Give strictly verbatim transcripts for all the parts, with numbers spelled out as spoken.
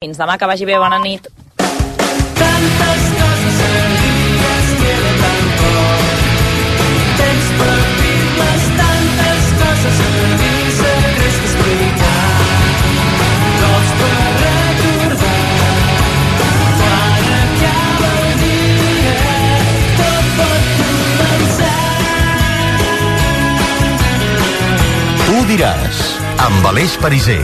Fins demà, que vagi bé, bona nit. Tantes coses sabies que era tan poc. Temps per dir-les, tantes coses sabies, secrets que explicar. Cops per recordar. Quan acaba el dia, tot pot començar. Tu diràs, amb Aleix Pariser.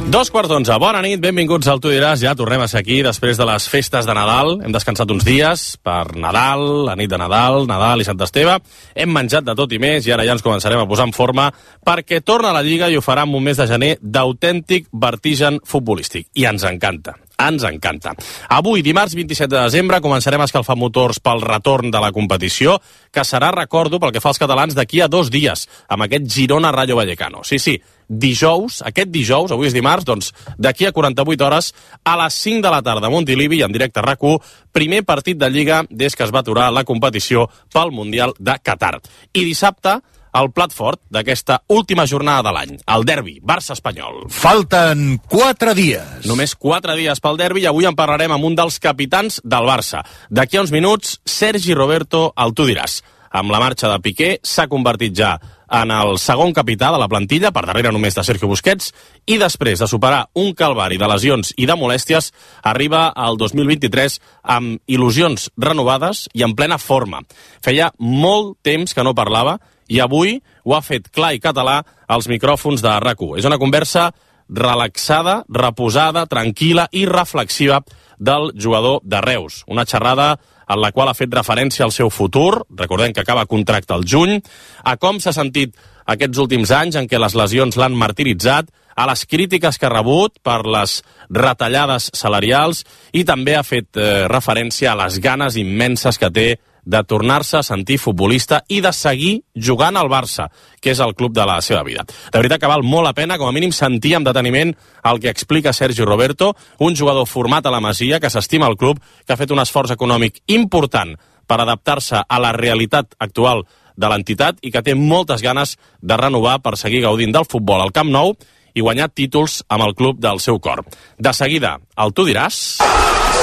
Dos quarts d'onze, bona nit, benvinguts al Tu diràs, ja tornem a ser aquí després de les festes de Nadal, hem descansat uns dies per Nadal, la nit de Nadal, Nadal i Sant Esteve, hem menjat de tot i més i ara ja ens començarem a posar en forma perquè torna a la Lliga i ho farà en un mes de gener d'autèntic vertigen futbolístic, i ens encanta. Ens encanta. Avui, dimarts vint-i-set de desembre, començarem a escalfar motors pel retorn de la competició, que serà, recordo, pel que fa als catalans, d'aquí a dos dies, amb aquest Girona-Rayo Vallecano. Sí, sí, dijous, aquest dijous, avui és dimarts, doncs d'aquí a quaranta-vuit hores, a les cinc de la tarda a Montilivi, en directe a RAC u, primer partit de Lliga des que es va aturar la competició pel Mundial de Qatar. I dissabte, el plat fort d'aquesta última jornada de l'any, el derbi Barça-Espanyol. Falten quatre dies. Només quatre dies pel derbi i avui en parlarem amb un dels capitans del Barça. D'aquí a uns minuts, Sergi Roberto, el Tu diràs. Amb la marxa de Piqué s'ha convertit ja en el segon capità de la plantilla, per darrere només de Sergio Busquets, i després de superar un calvari de lesions i de molèsties, arriba al dos mil vint-i-tres amb il·lusions renovades i en plena forma. Feia molt temps que no parlava i avui ho ha fet clar i català als micròfons de RAC u. És una conversa relaxada, reposada, tranquil·la i reflexiva del jugador de Reus. Una xerrada en la qual ha fet referència al seu futur, recordem que acaba contracte al juny, a com s'ha sentit aquests últims anys en què les lesions l'han martiritzat, a les crítiques que ha rebut per les retallades salarials i també ha fet eh, referència a les ganes immenses que té de tornar-se a sentir futbolista i de seguir jugant al Barça, que és el club de la seva vida. De veritat que val molt la pena, com a mínim, sentir amb deteniment el que explica Sergi Roberto, un jugador format a la Masia, que s'estima el club, que ha fet un esforç econòmic important per adaptar-se a la realitat actual de l'entitat i que té moltes ganes de renovar per seguir gaudint del futbol al Camp Nou i guanyar títols amb el club del seu cor. De seguida, el Tu diràs...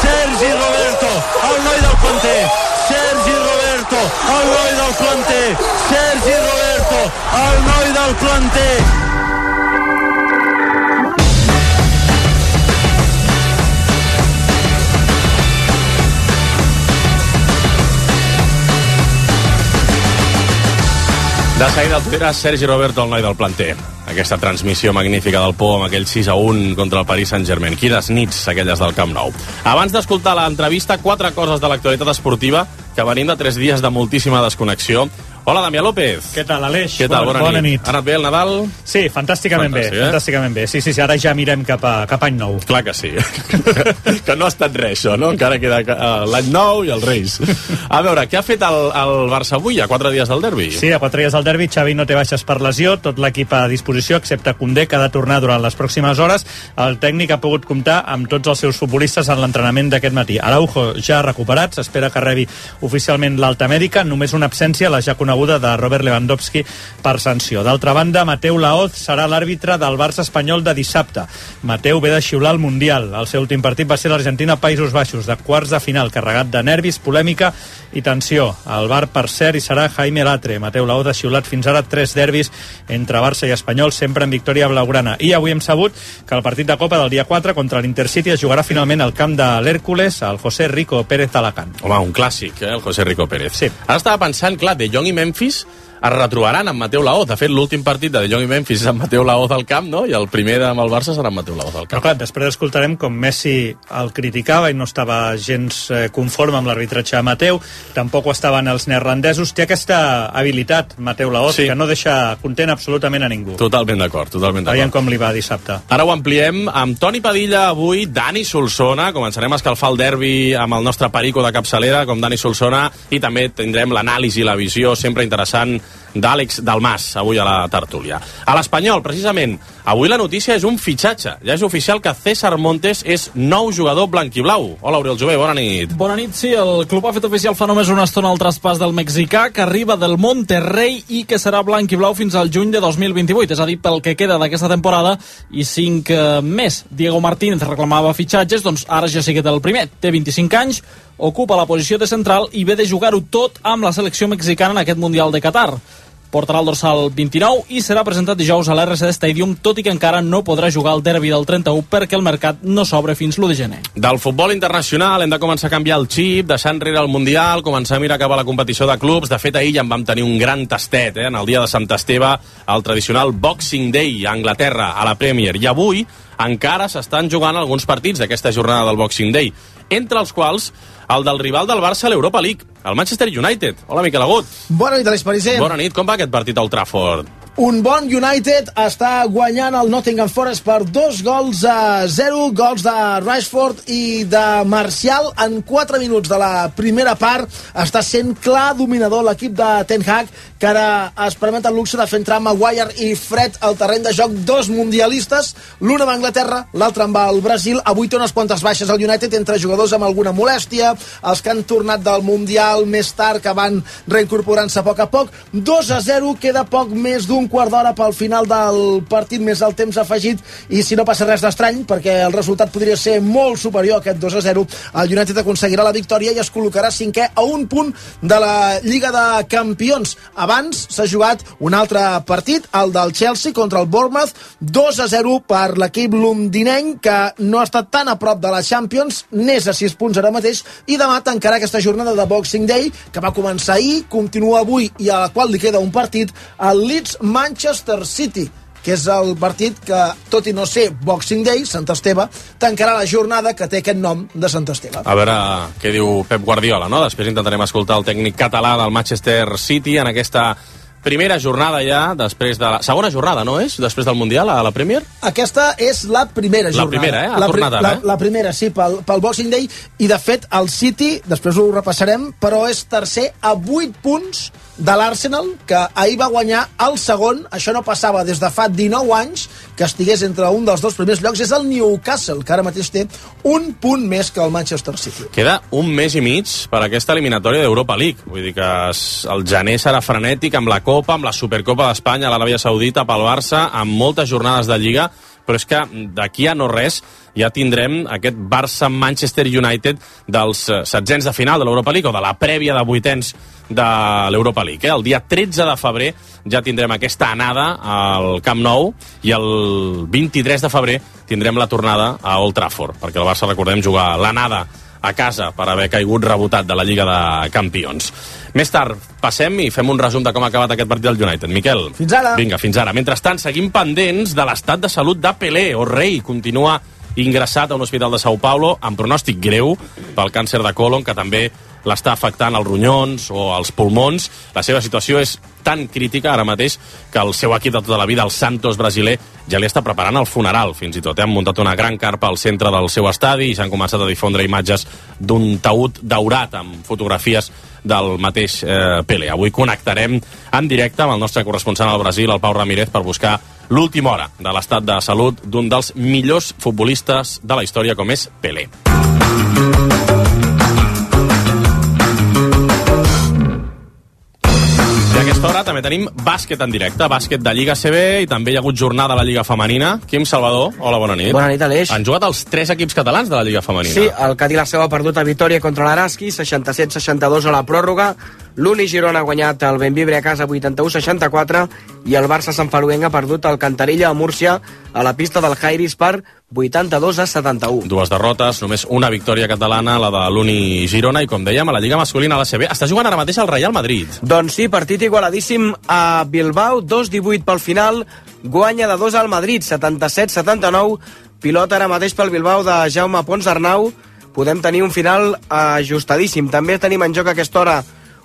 Sergi Roberto, el noi del planter. Sergi Roberto, el noi del planter. Sergi Roberto, el noi del planter. De seguida el Tu diràs, Sergi Roberto, el noi del planter. Aquesta transmissió magnífica del Pou amb aquell sis a un contra el Paris Saint-Germain. Quines nits aquelles del Camp Nou. Abans d'escoltar l'entrevista, quatre coses de l'actualitat esportiva que venim de tres dies de moltíssima desconnexió. Hola, Damià López. Què tal, Aleix? Què tal? Bona, bona, bona nit. nit. Ha anat bé el Nadal? Sí, fantàsticament Fantàstic, bé, eh? fantàsticament bé. Sí, sí, sí, ara ja mirem cap a, cap a any nou. Clar que sí. Que no ha estat res, això, no? Encara queda uh, l'any nou i els Reis. A veure, què ha fet el, el Barça avui, a quatre dies del derbi? Sí, a quatre dies del derbi, Xavi no té baixes per lesió, tot l'equip a disposició, excepte Koundé, que ha de tornar durant les pròximes hores. El tècnic ha pogut comptar amb tots els seus futbolistes en l'entrenament d'aquest matí. Araujo ja recuperat, s'espera que rebi oficialment l'alta mèdica, només una absència, la ja coneguda de Robert Lewandowski per sanció. D'altra banda, Mateu Laoz serà l'àrbitre del Barça espanyol de dissabte. Mateu ve de xiular el Mundial. El seu últim partit va ser l'Argentina-Països Baixos, de quarts de final, carregat de nervis, polèmica i tensió. El bar, per cert, hi serà Jaime Latre. Mateu Laoz ha xiulat fins ara tres derbis entre Barça i Espanyol, sempre en victòria blaugrana. I avui hem sabut que el partit de Copa del dia quatre contra l'Intercity es jugarà finalment al camp de l'Hèrcules, al José Rico Pérez Alacant. Home, un clàssic, eh, el José Rico Pérez. Sí. Ara estava pensant, clar, De Jong i Memphis es retrobaran amb Mateu Laoz. De fet, l'últim partit de De Jong i Memphis és amb Mateu Laoz al camp, no? I el primer amb el Barça serà amb Mateu Laoz al camp. Però clar, després escoltarem com Messi el criticava i no estava gens eh, conforme amb l'arbitratge de Mateu, tampoc ho estaven els neerlandesos. Té aquesta habilitat, Mateu Laoz, sí, que no deixa content absolutament a ningú. Totalment d'acord, totalment d'acord. Veiem com li va dissabte. Ara ho ampliem amb Toni Padilla avui, Dani Solsona. Començarem a escalfar el derbi amb el nostre perico de capçalera, com Dani Solsona, i també tindrem l'anàlisi i la visió sempre interessant d'Àlex Dalmas, avui a la tertúlia. A l'Espanyol, precisament, avui la notícia és un fitxatge. Ja és oficial que César Montes és nou jugador blanquiblau. Hola, Oriol Jové, bona nit. Bona nit, sí. El club ha fet oficial fa només una estona el traspàs del mexicà, que arriba del Monterrey i que serà blanquiblau fins al juny de dos mil vint-i-vuit, és a dir, pel que queda d'aquesta temporada i cinc eh, més. Diego Martínez reclamava fitxatges, doncs ara ja sí que té el primer. Té vint-i-cinc anys, ocupa la posició de central i ve de jugar-ho tot amb la selecció mexicana en aquest Mundial de Qatar. Portarà el dorsal vint-i-nou i serà presentat dijous a l'R C D Stadium, tot i que encara no podrà jugar el derbi del trenta-u perquè el mercat no s'obre fins l'u de gener. Del futbol internacional hem de començar a canviar el xip, deixar enrere el Mundial, començar a mirar cap a la competició de clubs. De fet, ahir ja en vam tenir un gran tastet, eh, en el dia de Sant Esteve, el tradicional Boxing Day a Anglaterra, a la Premier. I avui encara s'estan jugant alguns partits d'aquesta jornada del Boxing Day, entre els quals el del rival del Barça a l'Europa League, el Manchester United. Hola, Miquel Agut. Bona nit, Aleix Pariser. Bona nit. Com va aquest partit a Old Trafford? Un bon United està guanyant el Nottingham Forest per dos gols a zero, gols de Rashford i de Martial en quatre minuts de la primera part. Està sent clar dominador l'equip de Ten Hag, que ara es permet el luxe de fer entrar Maguire i Fred al terreny de joc, dos mundialistes, l'un amb Anglaterra, l'altre amb el Brasil. Avui té unes quantes baixes al United, entre jugadors amb alguna molèstia, els que han tornat del Mundial més tard, que van reincorporant-se a poc a poc. dos a zero, queda poc més d'un un quart d'hora pel final del partit, més el temps afegit, i si no passa res d'estrany, perquè el resultat podria ser molt superior a aquest dos a zero, el United aconseguirà la victòria i es col·locarà cinquè a un punt de la Lliga de Campions. Abans s'ha jugat un altre partit, el del Chelsea contra el Bournemouth, dos a zero per l'equip londinenc, que no ha estat tan a prop de la Champions, n'és a sis punts ara mateix, i demà tancarà aquesta jornada de Boxing Day, que va començar ahir, continua avui i a la qual li queda un partit, el Leeds Manchester City, que és el partit que, tot i no ser Boxing Day, Sant Esteve, tancarà la jornada que té aquest nom de Sant Esteve. A veure què diu Pep Guardiola, no? Després intentarem escoltar el tècnic català del Manchester City en aquesta primera jornada ja, després de la... Segona jornada, no és? Després del Mundial, a la Premier? Aquesta és la primera jornada. La primera, eh? Ha la, tornat ara, la, eh? la primera, sí, pel, pel Boxing Day, i de fet el City, després ho repassarem, però és tercer a vuit punts de l'Arsenal, que ahir va guanyar el segon. Això no passava des de fa dinou anys que estigués entre un dels dos primers llocs. És el Newcastle, que ara mateix té un punt més que el Manchester City. Queda un mes i mig per aquesta eliminatòria d'Europa League. Vull dir que el gener serà frenètic amb la Copa, amb la Supercopa d'Espanya, a l'Aràbia Saudita, pel Barça, amb moltes jornades de Lliga, però és que d'aquí a no res ja tindrem aquest Barça-Manchester United dels setzents de final de l'Europa League, o de la prèvia de vuitens de l'Europa League. Eh? El dia tretze de febrer ja tindrem aquesta anada al Camp Nou, i el vint-i-tres de febrer tindrem la tornada a Old Trafford, perquè el Barça, recordem, jugar l'anada a casa per haver caigut rebotat de la Lliga de Campions. Més tard passem i fem un resum de com ha acabat aquest partit del United. Miquel. Fins ara. Vinga, fins ara. Mentrestant, seguim pendents de l'estat de salut de Pelé. O rei continua ingressat a un hospital de São Paulo amb pronòstic greu pel càncer de còlon, que també l'està afectant els ronyons o els pulmons. La seva situació és tan crítica ara mateix que el seu equip de tota la vida, el Santos brasiler, ja li està preparant el funeral, fins i tot. Han muntat una gran carpa al centre del seu estadi i s'han començat a difondre imatges d'un taüt daurat amb fotografies del mateix eh, Pelé. Avui connectarem en directe amb el nostre corresponsal al Brasil, el Pau Ramírez, per buscar l'última hora de l'estat de salut d'un dels millors futbolistes de la història, com és Pelé. I a aquesta hora també tenim bàsquet en directe, bàsquet de Lliga C B, i també hi ha hagut jornada a la Lliga Femenina. Quim Salvador, hola, bona nit. Bona nit, Aleix. Han jugat els tres equips catalans de la Lliga Femenina. Sí, el Cadí la Seu ha perdut a Vitòria contra l'Araski, seixanta-set seixanta-dos a la pròrroga. L'Uni Girona ha guanyat el Benvibre a casa vuitanta-u seixanta-quatre, i el Barça Sant Feliuenc ha perdut el Cantarella a Múrcia a la pista del Jairis per vuitanta-dos a setanta-u. Dues derrotes, només una victòria catalana, la de l'Uni Girona, i com dèiem, a la Lliga masculina, a la C B, està jugant ara mateix el Real Madrid. Doncs sí, partit igualadíssim a Bilbao, dos divuit pel final, guanya de dos al Madrid, setanta-set setanta-nou, pilota ara mateix pel Bilbao de Jaume Pons Arnau. Podem tenir un final ajustadíssim. També tenim en joc a aquesta hora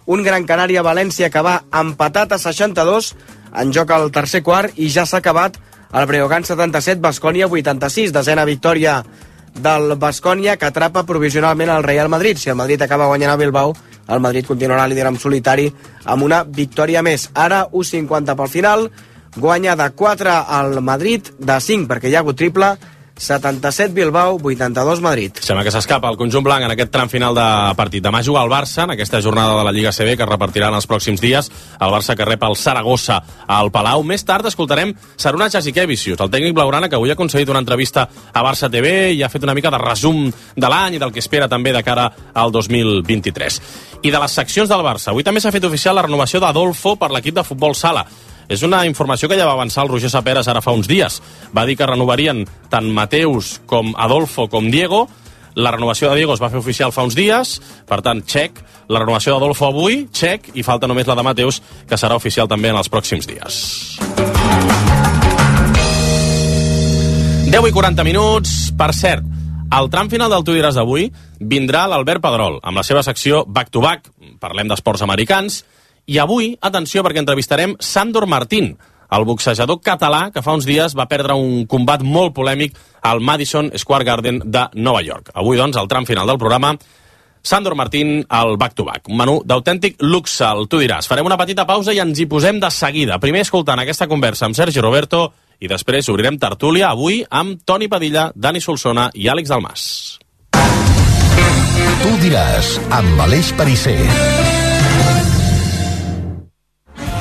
un Gran Canària-València que va empatat a seixanta-dos, en joc al tercer quart, i ja s'ha acabat el Breogán setanta-set, Baskonia vuitanta-sis, desena victòria del Baskonia, que atrapa provisionalment el Real Madrid. Si el Madrid acaba guanyant a Bilbao, el Madrid continuarà líder en solitari amb una victòria més. Ara u cinquanta pel final, guanya de quatre al Madrid, de cinc perquè hi ha hagut triple, setanta-set Bilbao, vuitanta-dos Madrid. Sembla que s'escapa el conjunt blanc en aquest tram final de partit. Demà juga el Barça en aquesta jornada de la Lliga C B que es repartirà en els pròxims dies. El Barça que rep el Saragossa al Palau. Més tard escoltarem Saruna Jasikevicius, el tècnic blaugrana que avui ha concedit una entrevista a Barça T V i ha fet una mica de resum de l'any i del que espera també de cara al dos mil vint-i-tres. I de les seccions del Barça, avui també s'ha fet oficial la renovació d'Adolfo per l'equip de futbol sala. És una informació que ja va avançar el Roger Saperas ara fa uns dies. Va dir que renovarien tant Mateus com Adolfo com Diego. La renovació de Diego es va fer oficial fa uns dies, per tant, check. La renovació d'Adolfo avui, check, i falta només la de Mateus, que serà oficial també en els pròxims dies. deu i quaranta minuts. Per cert, al tram final del Tu diràs d'avui vindrà l'Albert Pedrol, amb la seva secció Back to Back. Parlem d'esports americans. I avui, atenció, perquè entrevistarem Sandor Martín, el boxejador català que fa uns dies va perdre un combat molt polèmic al Madison Square Garden de Nova York. Avui, doncs, al tram final del programa, Sandor Martín al Back to Back. Un menú d'autèntic luxe, el Tu diràs. Farem una petita pausa i ens hi posem de seguida. Primer escoltant aquesta conversa amb Sergi Roberto i després obrirem tertúlia avui amb Toni Padilla, Dani Solsona i Àlex Dalmas. Tu diràs, amb Aleix Perisser.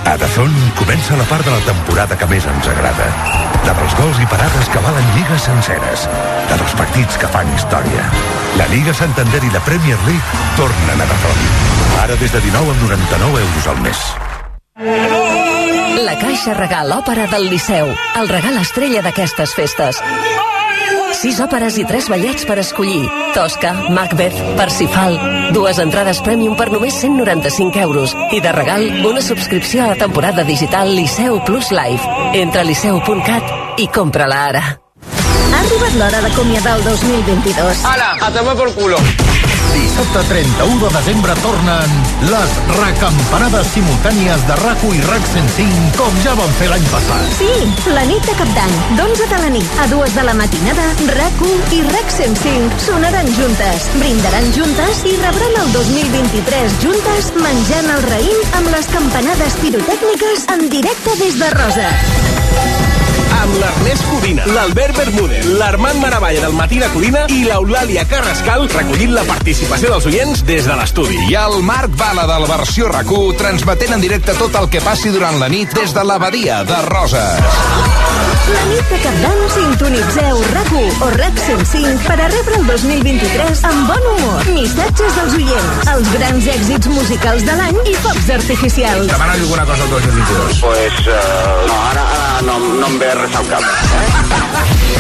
A Dazón comença la part de la temporada que més ens agrada. La dels gols i parades que valen lligues senceres. La dels partits que fan història. La Lliga Santander i la Premier League tornen a Dazón. Ara des de dinou amb noranta-nou euros al mes. La Caixa Regal Òpera del Liceu. El regal estrella d'aquestes festes. Sis òperes i tres ballets per escollir. Tosca, Macbeth, Parsifal. Dues entrades Premium per només cent noranta-cinc euros. I de regal, una subscripció a la temporada digital Liceu Plus Live. Entra a liceu punt cat i compra-la ara. Ha arribat l'hora d'acomiadar el dos mil vint-i-dos. Ala, a tomar por culo. Dissabte trenta-u de desembre tornen les recampanades simultànies de RAC1 i RAC cent cinc, com ja van fer l'any passat. Sí, la nit de Cap d'Any, d'onze de la nit a dues de la matinada, RAC1 i RAC cent cinc sonaran juntes, brindaran juntes i rebran el dos mil vint-i-tres juntes menjant el raïm amb les campanades pirotècniques en directe des de Roses. Amb l'Ernest Codina, l'Albert Bermúdez, l'Armand Maravalla del Matina Codina i l'Eulàlia Carrascal recollint la participació dels oients des de l'estudi. I el Marc Bala del Versió RAC1 transmetent en directe tot el que passi durant la nit des de l'abadia de Roses. La nit de Cap d'Any sintonitzeu RAC1 o RAC cent cinc per a rebre el dos mil vint-i-tres amb bon humor, missatges dels oients, els grans èxits musicals de l'any i focs artificials. Demana alguna cosa al dos mil vint-i-dos? Pues, uh, no, ara, ara no, no em ve res al cap.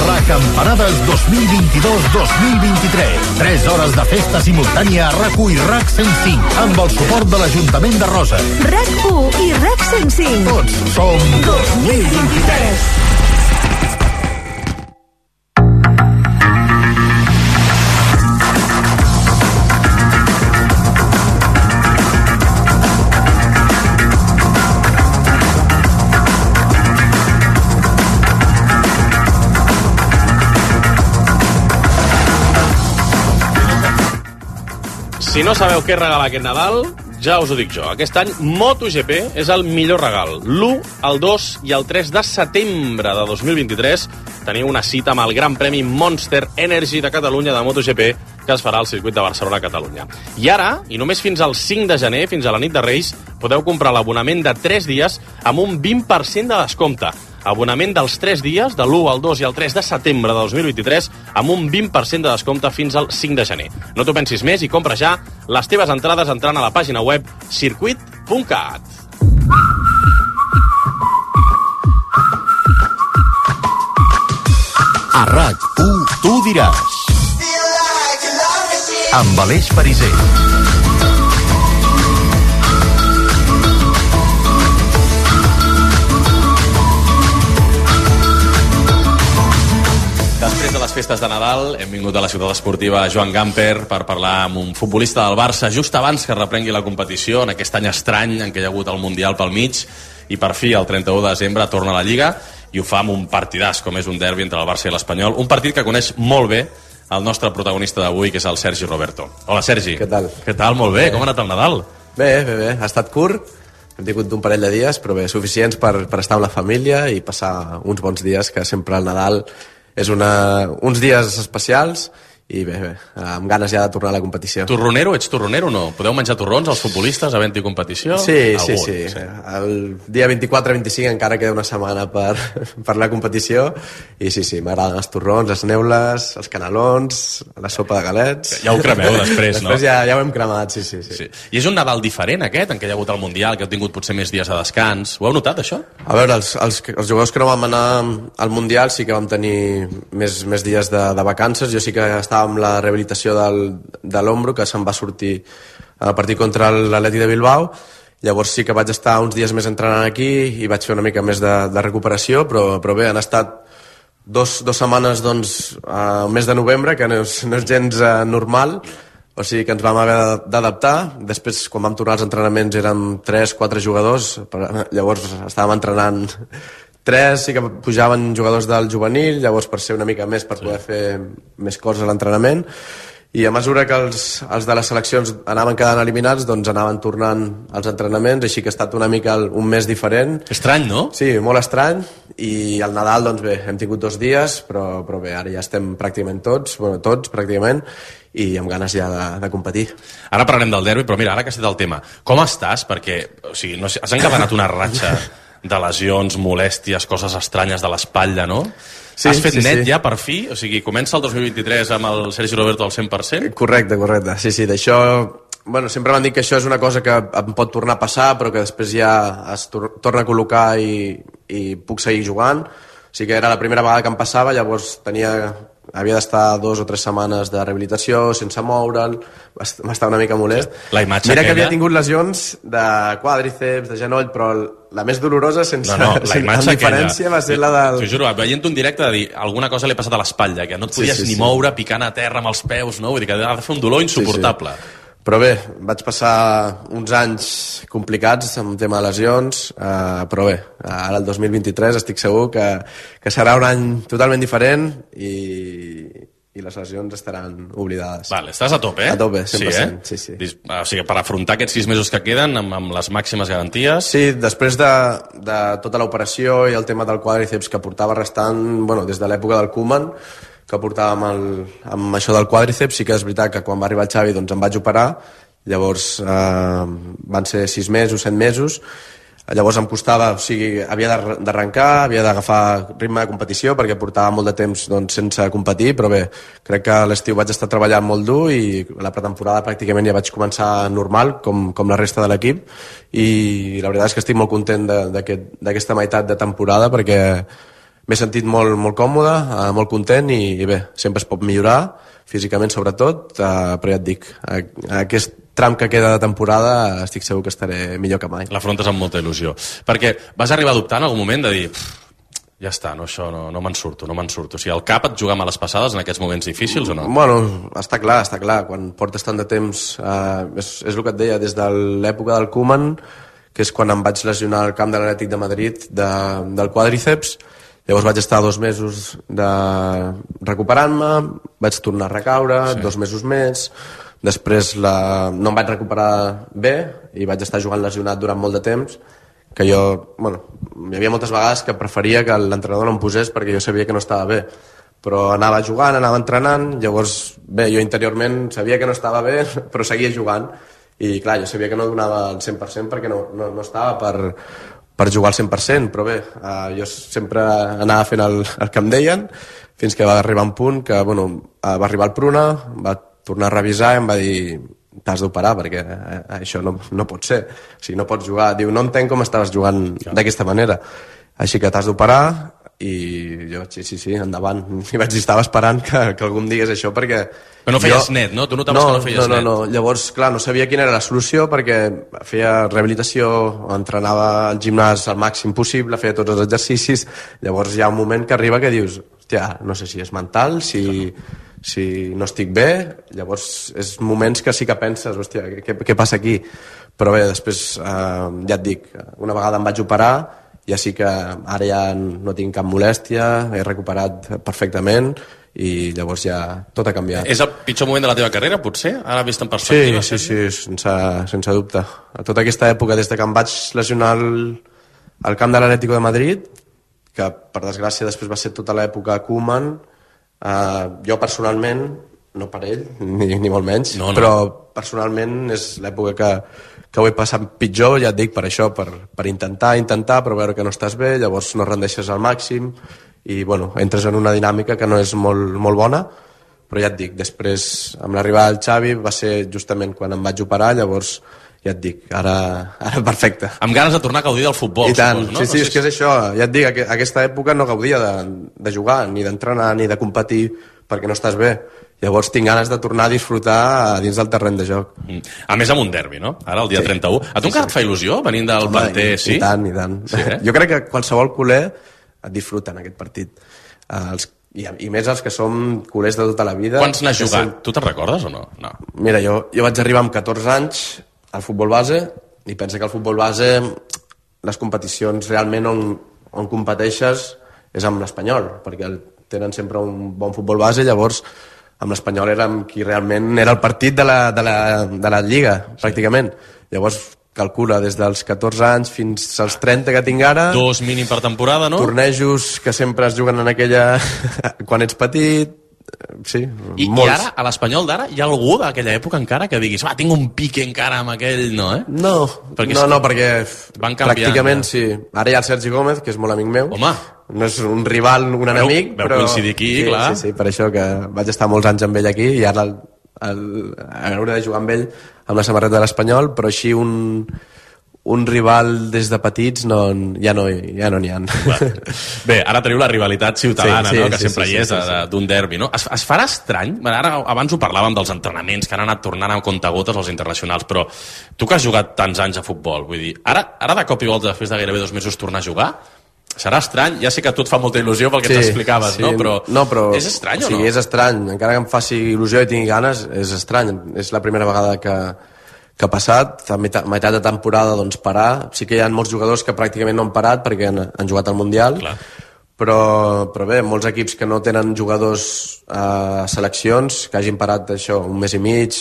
Recampanades dos mil vint-i-dos dos mil vint-i-tres. Tres hores de festa simultània a RAC1 i RAC cent cinc amb el suport de l'Ajuntament de Roses. RAC1 i RAC cent cinc. Tots som dos mil vint-i-tres. Si no sabeu què regalar aquest Nadal, ja us ho dic jo. Aquest any MotoGP és el millor regal. l'u, el dos i el tres de setembre de dos mil vint-i-tres teniu una cita amb el Gran Premi Monster Energy de Catalunya de MotoGP que es farà al circuit de Barcelona a Catalunya. I ara, i només fins al cinc de gener, fins a la nit de Reis, podeu comprar l'abonament de tres dies amb un vint per cent de descompte. Abonament dels tres dies, de l'u al dos i al tres de setembre de dos mil vint-i-tres, amb un vint per cent de descompte fins al cinc de gener. No t'ho pensis més i compra ja les teves entrades entrant a la pàgina web circuit punt cat. A RAC1, Tu diràs. Amb Aleix Perisser. Després de les festes de Nadal hem vingut a la ciutat esportiva Joan Gamper per parlar amb un futbolista del Barça just abans que reprengui la competició en aquest any estrany en què hi ha hagut el Mundial pel mig i per fi el trenta-u de desembre torna a la Lliga i ho fa amb un partidàs com és un derbi entre el Barça i l'Espanyol, un partit que coneix molt bé el nostre protagonista d'avui, que és el Sergi Roberto. Hola, Sergi. Què tal? Què tal? Molt bé. bé. Com ha anat el Nadal? Bé, bé, bé. Ha estat curt, hem tingut un parell de dies, però bé, suficients per, per estar amb la família i passar uns bons dies, que sempre el Nadal és una, uns dies especials. I bé, bé, amb ganes ja de tornar a la competició. Torronero? Ets torronero o no? Podeu menjar torrons els futbolistes havent-hi competició? Sí, Algun, sí, sí, sí. El dia vint-i-quatre vint-i-cinc encara queda una setmana per, per la competició i sí, sí, m'agraden els torrons, les neules, els canelons, la sopa de galets. Ja ho cremeu després, no? Després ja, ja ho hem cremat, sí, sí, sí, sí. I és un Nadal diferent aquest, en què hi ha hagut el Mundial, que heu tingut potser més dies de descans. Ho heu notat, això? A veure, els, els, els jugadors que no vam anar al Mundial sí que vam tenir més, més dies de, de vacances. Jo sí que estava amb la rehabilitació del, de l'ombro, que se'n va sortir a partir contra l'Atlètic de Bilbao. Llavors sí que vaig estar uns dies més entrenant aquí i vaig fer una mica més de, de recuperació, però, però bé, han estat dos, dos setmanes doncs, al mes de novembre, que no és, no és gens uh, normal, o sigui que ens vam haver d'adaptar. Després, quan vam tornar als entrenaments, érem tres, quatre jugadors, llavors estàvem entrenant tres, sí que pujaven jugadors del juvenil, llavors per ser una mica més, per poder fer més coses a l'entrenament, i a mesura que els, els de les seleccions anaven quedant eliminats, doncs anaven tornant als entrenaments, així que ha estat una mica un mes diferent. Estrany, no? Sí, molt estrany, i al Nadal, doncs bé, hem tingut dos dies, però, però bé, ara ja estem pràcticament tots, bueno, tots pràcticament, i amb ganes ja de, de competir. Ara parlarem del derbi, però mira, ara que has dit el tema, com estàs? Perquè, o sigui, no sé, has encadenat una ratxa de lesions, molèsties, coses estranyes de l'espatlla, no? Sí, has fet sí, net sí. ja per fi? O sigui, comença el dos mil vint-i-tres amb el Sergi Roberto al cent per cent? Correcte, correcte. Sí, sí, d'això... Bueno, sempre m'han dit que això és una cosa que em pot tornar a passar, però que després ja es tor torna a col·locar i, i puc seguir jugant. O sigui que era la primera vegada que em passava, llavors tenia... havia d'estar dos o tres setmanes de rehabilitació sense moure'l, m'estava una mica molest. La imatge Mira aquella... que havia tingut lesions de quàdriceps, de genoll, però la més dolorosa, sense, no, no, la sense diferència, va ser la del... T'ho juro, veient un directe de dir alguna cosa li ha passat a l'espatlla, que no et podies sí, sí, ni sí. moure picant a terra amb els peus, no? Vull dir que ha de fer un dolor insuportable. Sí, sí. Però bé, vaig passar uns anys complicats amb tema de lesions, eh, però bé, ara el dos mil vint-i-tres estic segur que, que serà un any totalment diferent i, i les lesions estaran oblidades. Vale, estàs a tope, eh? A tope, cent per cent, sí, eh? sí, sí. O sigui, per afrontar aquests sis mesos que queden amb, amb les màximes garanties... Sí, després de, de tota l'operació i el tema del quàdriceps que portava restant, bueno, des de l'època del Koeman, que portàvem el, amb això del quàdriceps, sí que és veritat que quan va arribar el Xavi doncs em vaig operar, llavors eh, van ser sis mesos, set mesos, llavors em costava, o sigui, havia d'arrencar, havia d'agafar ritme de competició perquè portava molt de temps doncs, sense competir, però bé, crec que a l'estiu vaig estar treballant molt dur i la pretemporada pràcticament ja vaig començar normal, com, com la resta de l'equip, i la veritat és que estic molt content d'aquesta aquest, meitat de temporada perquè m'he sentit molt, molt còmode, eh, molt content i, i bé, sempre es pot millorar, físicament sobretot, eh, però ja et dic, a, a aquest tram que queda de temporada estic segur que estaré millor que mai. L'afrontes amb molta il·lusió. Perquè vas arribar a dubtar en algun moment de dir ja està, no, això no, no me'n surto, no me'n surto. O sigui, el cap et juga males passades en aquests moments difícils o no? Bueno, està clar, està clar. Quan portes tant de temps, eh, és, és el que et deia, des de l'època del Koeman, que és quan em vaig lesionar al camp de l'Atlètic de Madrid de, del quàdriceps. Llavors vaig estar dos mesos de recuperant-me, vaig tornar a recaure, sí. dos mesos més, després la... no em vaig recuperar bé i vaig estar jugant lesionat durant molt de temps, que jo, bueno, hi havia moltes vegades que preferia que l'entrenador no em posés perquè jo sabia que no estava bé, però anava jugant, anava entrenant, llavors, bé, jo interiorment sabia que no estava bé, però seguia jugant, i clar, jo sabia que no donava el cent per cent perquè no, no, no estava per... per jugar al cent per cent, però bé, eh, jo sempre anava fent el, el que em deien, fins que va arribar un punt que, bueno, eh, va arribar el Pruna, va tornar a revisar i em va dir t'has d'operar perquè eh, això no, no pot ser, o sigui, no pots jugar. Diu, no entenc com estaves jugant d'aquesta manera, així que t'has d'operar, i jo, sí, sí, sí, endavant. I vaig dir, estava esperant que, que algú em digués això perquè... Però no feies jo... net, no? Tu notaves no, que no feies no, no, net. No, no, llavors, clar, no sabia quina era la solució perquè feia rehabilitació, entrenava al gimnàs al màxim possible, feia tots els exercicis, llavors hi ha un moment que arriba que dius, hòstia, no sé si és mental, si, si no estic bé, llavors és moments que sí que penses, hòstia, què, què passa aquí? Però bé, després, eh, ja et dic, una vegada em vaig operar, ja sí que ara ja no tinc cap molèstia, he recuperat perfectament i llavors ja tot ha canviat. És el pitjor moment de la teva carrera, potser? Ara vist en perspectiva? Sí, sí, sí, sense, sense dubte. A tota aquesta època, des de que em vaig lesionar al, al camp de l'Atlético de Madrid, que per desgràcia després va ser tota l'època Koeman, eh, jo personalment, no per ell, ni, ni molt menys, no, no. Però personalment és l'època que, que ho he passat pitjor, ja et dic, per això, per, per intentar, intentar, però veure que no estàs bé, llavors no rendeixes al màxim, i bueno, entres en una dinàmica que no és molt, molt bona, però ja et dic, després amb l'arribada del Xavi va ser justament quan em vaig operar, llavors ja et dic, ara, ara perfecte. Amb ganes de tornar a gaudir del futbol, i tant, supos, no? Sí, sí, no sé és que és això, ja et dic, a aquesta època no gaudia de, de jugar, ni d'entrenar, ni de competir, perquè no estàs bé. Llavors tinc ganes de tornar a disfrutar dins del terreny de joc. Mm. A més amb un derbi, no? Ara el dia sí. trenta-u. A tu sí, encara sí. et fa il·lusió venint del Home, planter, i, sí? I tant, i tant. Sí, eh? Jo crec que qualsevol culer et disfruta en aquest partit. Uh, els, i, I més els que som culers de tota la vida. Quants n'has jugat? Sem... Tu te'n recordes o no? no? Mira, jo, jo vaig arribar amb catorze anys al futbol base i pensa que al futbol base les competicions realment on, on competeixes és amb l'Espanyol, perquè el, tenen sempre un bon futbol base, llavors amb l'Espanyol era amb qui realment era el partit de la, de la, de la Lliga, sí. pràcticament. Llavors calcula des dels catorze anys fins als trenta que tinc ara. Dos mínim per temporada, no? Tornejos que sempre es juguen en aquella... quan ets petit, sí, I, molts. I ara, a l'Espanyol d'ara, hi ha algú d'aquella època encara que diguis, va, tinc un pique encara amb aquell, no, eh? No, perquè no, no, perquè van canviant, pràcticament ja. sí. Ara hi ha el Sergi Gómez, que és molt amic meu. Home! No és un rival, un veu, enemic, veu però... coincidir aquí, sí, clar. Sí, sí, per això que vaig estar molts anys amb ell aquí i ara el, el, hauré de jugar amb ell amb la samarreta de l'Espanyol, però així un... un rival des de petits no, ja no ja no n'hi ha. Bé, ara teniu la rivalitat ciutadana, sí, sí, no? que sí, sempre sí, hi és, sí, sí, sí. d'un derbi. No? Es, es farà estrany? Ara, abans ho parlàvem dels entrenaments que han anat tornant a comptagotes als internacionals, però tu que has jugat tants anys a futbol, vull dir, ara, ara de cop i volta, després de gairebé dos mesos, tornar a jugar? Serà estrany? Ja sé que a tu et fa molta il·lusió pel que sí, ens explicaves, sí, no? Però, no, però és estrany o, o sigui, o no? És estrany. Encara que em faci il·lusió i tingui ganes, és estrany. És la primera vegada que, que ha passat. A meitat, meitat de temporada, doncs, parar. Sí que hi ha molts jugadors que pràcticament no han parat perquè han, han jugat al Mundial. Clar. Però, però bé, molts equips que no tenen jugadors a eh, seleccions, que hagin parat això un mes i mig.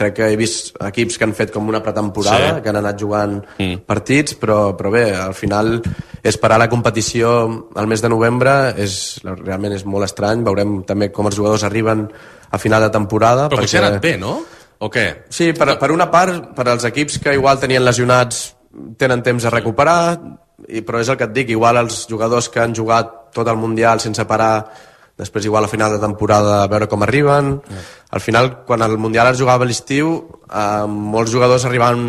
Crec que he vist equips que han fet com una pretemporada, sí. que han anat jugant mm. partits, però, però bé, al final esperar la competició al mes de novembre és, realment és molt estrany. Veurem també com els jugadors arriben a final de temporada. Però potser ha anat bé, no? O què? Sí, per, per una part, per als equips que igual tenien lesionats tenen temps a recuperar, i, però és el que et dic, igual els jugadors que han jugat tot el Mundial sense parar, després igual a final de temporada a veure com arriben. Mm. Al final, quan el Mundial es jugava a l'estiu, eh, molts jugadors arribaven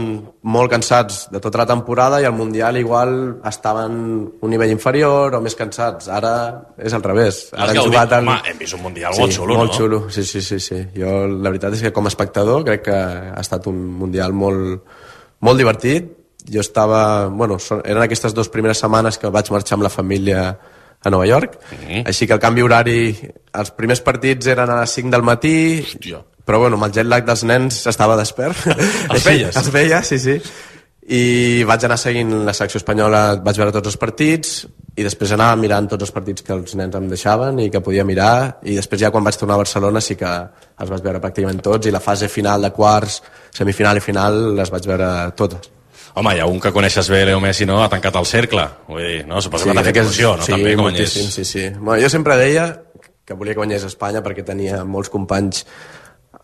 molt cansats de tota la temporada i al Mundial igual estaven un nivell inferior o més cansats. Ara és al revés. Ara hem, jugat el... Home, hem vist un Mundial sí, molt xulo, molt no? xulo, sí, sí, sí, sí. Jo, la veritat és que com a espectador crec que ha estat un Mundial molt, molt divertit. Jo estava... Bueno, eren aquestes dues primeres setmanes que vaig marxar amb la família a Nova York, mm-hmm. així que el canvi horari, els primers partits eren a les cinc del matí, Hòstia. Però bueno, amb el jet lag dels nens estava despert. Els veies? Els veia, sí, sí. I vaig anar seguint la selecció espanyola, vaig veure tots els partits, i després anava mirant tots els partits que els nens em deixaven i que podia mirar, i després ja quan vaig tornar a Barcelona sí que els vaig veure pràcticament tots, i la fase final de quarts, semifinal i final les vaig veure totes. Home, hi ha un que coneixes bé, Leo Messi, no? Ha tancat el cercle. Vull dir, no? Suposo sí, que t'ha fet il·lusió, no? Sí, també que guanyés. Sí, sí. Bueno, jo sempre deia que volia que guanyés Espanya perquè tenia molts companys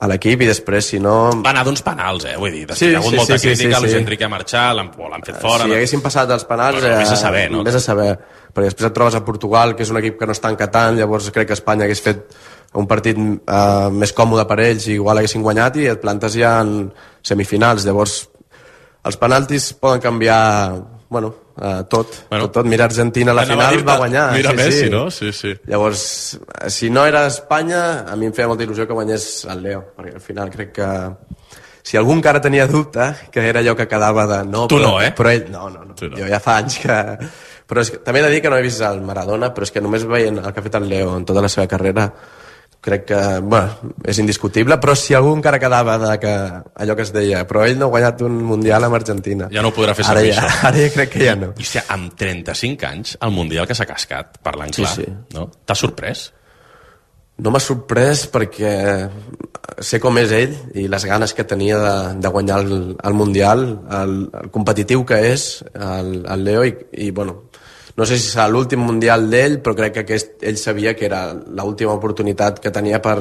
a l'equip i després, si no... Va anar d'uns penals, eh? Vull dir, després sí, hi ha hagut sí, molta sí, crítica, sí, sí, Luis sí. Enrique ha marxat, l'han fet fora... Si haguessin passat els penals... Però vés a saber, no? Vés a saber, perquè després et trobes a Portugal, que és un equip que no està encatant, llavors crec que Espanya hagués fet un partit eh, més còmode per ells i igual haguessin guanyat i et plantes ja en semifinals, llavors... Els penaltis poden canviar, bueno, uh, tot, bueno, tot, tot. Mira, Argentina a la final va guanyar. Mira sí, Messi, sí. no? Sí, sí. Llavors, si no era Espanya, a mi em feia molta il·lusió que guanyés el Leo, perquè al final crec que si algú encara tenia dubte, que era allò que quedava de... No, tu però, no, eh? Però ell, no, no, no. no. Jo ja fa anys que... Però és que, també he de dir que no he vist el Maradona, però és que només veient el que ha fet el Leo en tota la seva carrera, crec que, bueno, és indiscutible, però si algú encara quedava de que allò que es deia, però ell no ha guanyat un Mundial amb Argentina. Ja no ho podrà fer ara servir, ja, això. Ara ja crec que ja no. I, hòstia, amb trenta-cinc anys, el Mundial que s'ha cascat, parlant clar, sí, sí. no? T'ha sorprès? No m'ha sorprès perquè sé com és ell i les ganes que tenia de, de guanyar el, el Mundial, el, el competitiu que és el, el Leo i, i bueno, no sé si serà l'últim Mundial d'ell, però crec que aquest, ell sabia que era l'última oportunitat que tenia per,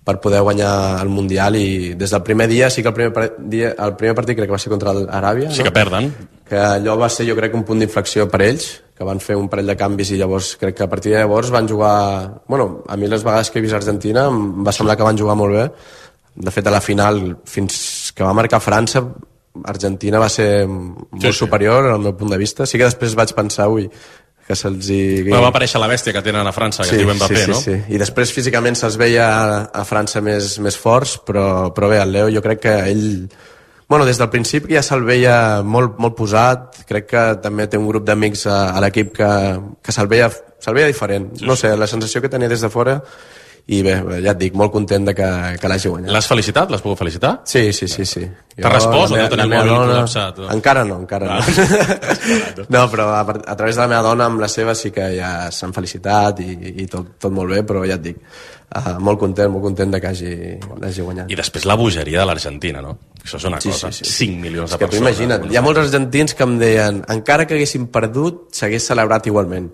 per poder guanyar el Mundial i des del primer dia, sí que el primer, dia, el primer partit crec que va ser contra l'Aràbia, sí no? que perden, que allò va ser jo crec un punt d'inflexió per ells, que van fer un parell de canvis i llavors crec que a partir de llavors van jugar... Bueno, a mi les vegades que he vist Argentina em va semblar que van jugar molt bé. De fet, a la final, fins que va marcar França, Argentina va ser molt sí, sí. superior al meu punt de vista. Sí que després vaig pensar, ui, que se'ls hi... Bueno, va aparèixer la bèstia que tenen a França, que sí, es diu Mbappé, sí, sí, no? Sí, i després físicament se'ls veia a, a França més, més forts, però, però bé, el Leo jo crec que ell... Bueno, des del principi ja se'l veia molt, molt posat, crec que també té un grup d'amics a, a l'equip que, que se'l veia, se'l veia diferent. Sí, no sé, la sensació que tenia des de fora, i bé, ja et dic, molt content de que, que l'hagi guanyat. L'has felicitat? L'has pogut felicitar? Sí, sí, sí. sí. T'ha respost o no tenia el mòbil dona... col·lapsat? O... Encara no, encara ah. no. No, però a, a través de la meva dona, amb la seva, sí que ja s'han felicitat i, i tot, tot molt bé, però ja et dic, Uh, molt content, molt content de que hagi, hagi guanyat. I després la bogeria de l'Argentina, no? Això és una sí, cosa, sí, sí. cinc milions de que persones. Imagina't, hi ha molts argentins que em deien encara que haguessin perdut, s'hagués celebrat igualment,